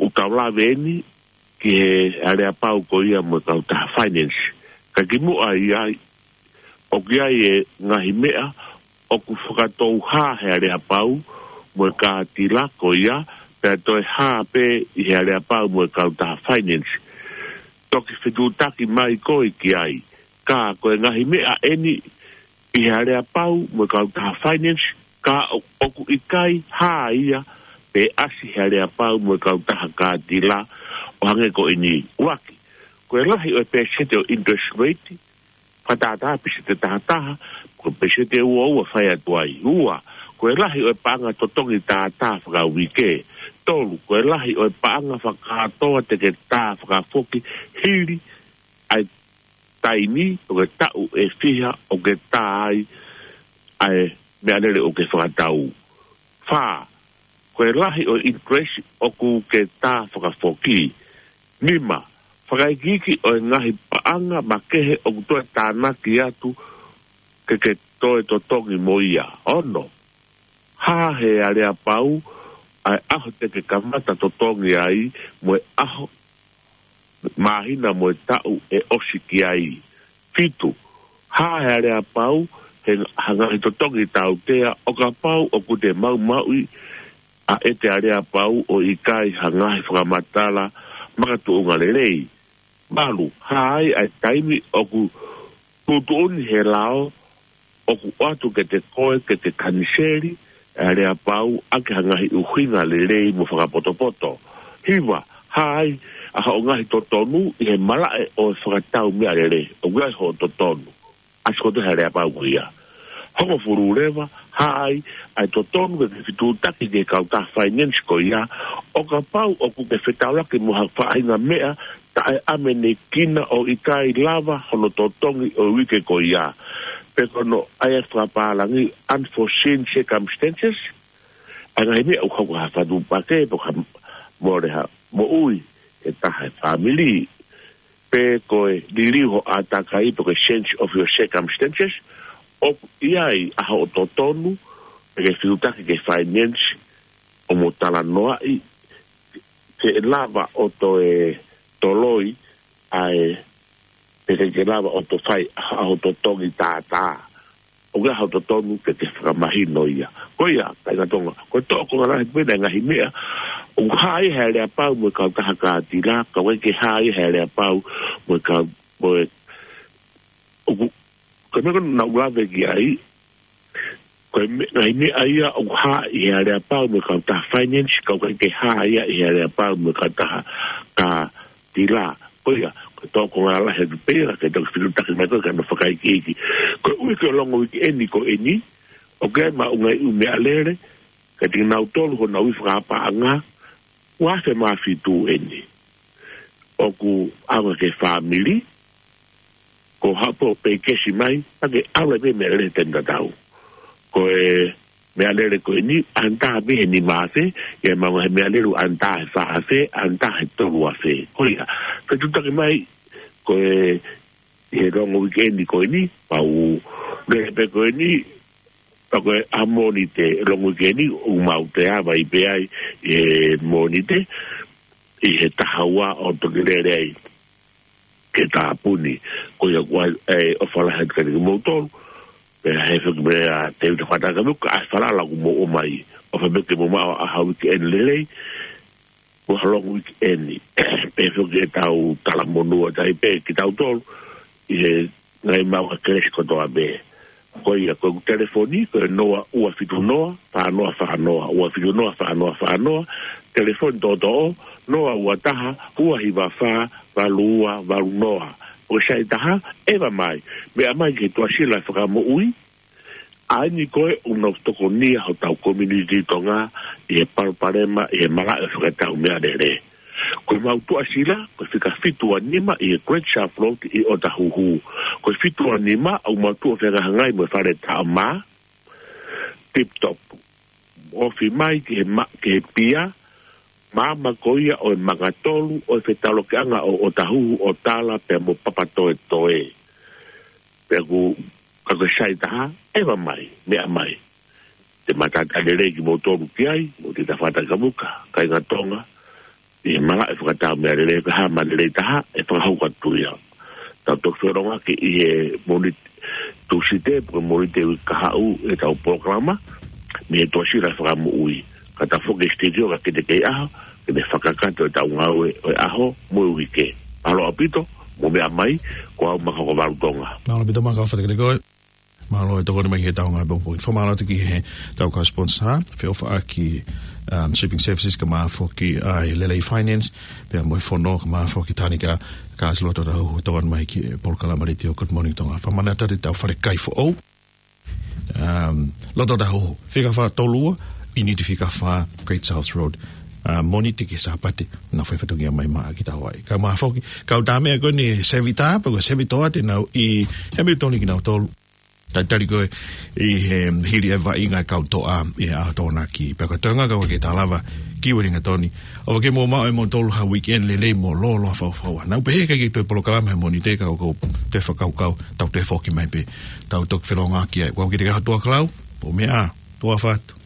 ʻoku tau lave eni ki he aleapau ko ia mo e kautaha finance. Ka kimuʻa ʻi ai, ʻoku ʻi ai e ngaahi meʻa ʻoku fakatouhā he aleapau mo e kātila ko ia, Pea toe hā pē ʻi he aleapau mo e kautaha finance. Toki fetuʻutaki mai koe ki ai. Ka ko e ngaahi meʻa ʻeni ʻi he aleapau mo e kautaha finance, ka ʻo-, ʻoku ʻikai hā ia pe ʻasi he aleapau mo e kautaha kātila ʻo hangē ko ʻeni. ʻUluaki, ko e lahi ʻo e peseti ʻo interest rate, fakatātā peseti taha taha, ko e peseti ua ua fai atu ai. Ua, ko e lahi ʻo e paʻanga totongi tātā fakauike. Tolu, ko e lahi ʻo e paʻanga fakakātoa te ke tā fakafoki hili ʻa e taimi ʻo ke taʻu ʻe fiha ʻo ke tā ai ʻa e meʻalele ʻo ke fakatau. Fā, ko e lahi ʻo e interest ʻoku ke tā fakafoki. Nima, fakaikiiki ʻo e ngaahi paʻanga makehe ʻoku toe tānaki atu ke ke toe totongi mo ia. Ono, hā he aleapau ʻa e ʻaho te ke kamata totongi ai mo e ʻaho, māhina mo e taʻu ʻe ʻosi ki ai. Fitu, hā he aleapau he, ha ngaahi totongi tautea ʻo kapau ʻoku te maumauʻi ʻa e te aleapau ʻo ʻikai ha ngaahi fakamatala makatuʻunga lelei. Valu, hā ai ʻa e taimi ʻoku tuʻutuʻuni he lao ʻoku ʻoatu ke te koe ke te kaniseli ʻa e aleapau ʻaki ha ngaahi ʻuhinga lelei mo fakapotopoto. Hiva, hā ai ʻa hoʻo ngaahi totonu ʻi he malaʻe ʻo e fakatau meʻalele ʻoku ʻi ai hoʻo totonu ʻasi kotoa he aleapau ko ia. Hongofulu leva, hā ai ʻa e totonu ke ke fetuʻutaki ki he kautaha finance ko ia ʻo kapau ʻoku ke fetaulaki mo ha faʻahinga meʻa taʻeʻamanekina ʻo ʻikai lava hono totongi ʻo e uike ko ia. Pe ko hono ʻai ʻa e fakapālangi unforeseen circumstances, ʻa e ngaahi meʻa ʻoku hoko ha fatupaki pe ko ha mole ha moʻui ʻe taha ʻi he fāmili, pe ko e liliu ho ʻātakai pe ko e change of your circumstances, ʻoku ʻi ai ʻa hoʻo totonu ke ke fetuʻutaki ki he finance ʻo mo talanoaʻi ke lava ʻo toe toloi ʻa e, pe ke lava ʻo toe fai ʻa hoʻo totongi tātā. ʻOku ʻi ai hoʻo totonu ke ke fakamahino ia. Ko ia, kāinga Tonga, ko e toʻo konga lahi pē ʻa e ngaahi meʻa ʻoku hā ai he aleapau mo e kautaha kātila, ka ʻoku ʻikai ke hā ai he aleapau mo e kau-, mo e, ʻoku, ko e meʻa ko ē naʻá ku lave ki ai, ko e me-, ngaahi meʻa ia ʻoku hā ʻi he aleapau mo e kautaha finance, ka ʻoku ʻikai ke hā ia ʻi he aleapau mo e kautaha kātila. Ko ia, ko e toʻo konga lahi atu pē ia, ke toki fetuʻutaki mai koe ki hono fakaikiiki. Ko e uike ʻo e longo uike ʻeni ko ʻeni, ʻoku ʻi ai maʻu ngaahi ʻū meʻalele, kiate kinautolu honau ui fakapaʻanga, ua afe mā fitu ʻeni. ʻOku ʻaonga ki he fāmili, ko hapo pe kesi mai, pea ke ʻalu ai pē meʻalele he taimi tatau. Ko e meʻalele ko ʻeni, under pē he nima afe, ʻi ai maʻu ngaahi meʻalele under he fā afe, under he tolu afe. Ko ia, fetuʻutaki mai, ko e, ʻi he longo uike ʻeni ko ʻeni, pau lele pē ko ʻeni, pea ko e ʻaho Mōnite, longo uike ʻeni, ʻoku mau toe ava ai pē ai, ʻi he Mōnite, ʻi he taha ua ʻo toki lele ai ki he tāpuni. Ko ia ʻoku ʻai, ʻe, ʻofa lahi atu kiate kimoutolu, pea ʻe foki mai ʻa Tēvita Faʻatakamuka, ʻa e falala ʻoku mou ʻomai. ʻOfa pē ke mou maʻu ha uike ʻeni lelei, mo ha longo uike ʻeni. Pea ʻe foki ʻetau talamonū atu ai pē kitautolu, ʻi he ngaahi maʻu ʻa e kelesi kotoa pē. Ko ia, ko ʻeku telefoni, ko e noa ua fitu noa, fā noa fā noa, ua fitu noa, fā noa fā noa, telefoni toʻotoʻo, noa ua taha, ua hiva fā, valu ua valu noa. Ko e saiti taha, ʻeva mai, meʻa mai ki he Tuʻasila Fakamoʻui, ʻa eni ko ē ʻoku nau tokonia hotau community Tonga, ʻi he palopalema, ʻi he malaʻe fakatau meʻalele. Ko ʻemau tuʻasila, ko e fika fitu ua nima ʻi he Great Shelf Road ʻi ʻŌtāhuhu. Ko e fitu ua nima, ʻoku mau tuʻu ʻo fehangahangai mo e fale taʻo mā, Tip Top. Ofi mai ki he ma-, ki he pia, maama ko ia ʻo e manga tolu, ʻo e fetaulaki ʻanga ʻo ʻŌtāhuhu, ʻo Tala, pea mo Papatoetoe. Pea ʻoku, ka ko e saiti taha, ʻeva mai, meʻa mai. Te matātā lelei kimoutolu ki ai, mo Tēvita Faʻatakamuka, kāinga Tonga, ʻi he malaʻe fakatau meʻalele, ka ha meʻa lelei taha, ʻe fakahoko atu ia. Tau toki feʻiloaki ʻi he Mōnite, Tūsite, pe ko e Mōnite uike kahaʻu, ʻetau polokalama, mei he Tuʻasila Fakamoʻui. Ka ta foki ki studio ka kite kei ʻaho, ke ne fakakakato ʻetau ngāue ʻo e ʻaho mo e uike. Mālō ʻaupito, mou meʻa mai, ko au Maka ko Valu Tonga. Mālō ʻaupito Maka, ʻofa atu kiate koe. Mālō e tokoni mai ki heʻetau ngāue pongipongi. Fakamālō atu ki heʻetau kau sponsor, Feʻofaʻaki, um, Shipping Services, kae ʻumaʻā foki ʻa e Lelei Finance, pea mo e Fono, kae ʻumaʻā foki Tanika, ka ʻosi loto ʻetau tokoni mai ki he polokalama letiō Good Morning Tonga. Fakamālō atu ki heʻetau fale kai foʻou. Um, loto ʻetau fika fā tolu ua, ʻi Niti fika fā, Great South Road. Uh, Mōnite ki he Sāpate, nau fai fatongia mai maʻa kitaua ai. Kae ʻumaʻā foki, kau tā meʻa ko eni Sevita, pe ko Sevitoa te nau ʻi Hamilton kinautolu. Talitali koe ʻi he hili e vaʻinga e kau toʻa ʻi he ʻaho Tokonaki. Pea ko e toenga kau ke ta lava ki Uelingatoni. ʻOfa ke mou maʻu ʻe moutolu ha weekend lelei mo lōloa faufaua. Naʻa ku pehē ʻikai ke toe polokalama he Mōnite ka ʻoku ou toe fakakaukau, tau toe foki mai pē. Tau toki felōngoaki ai. Ko au Kite Kaha Tuʻakalau, mou meʻa ā, tuʻa ʻofa atu.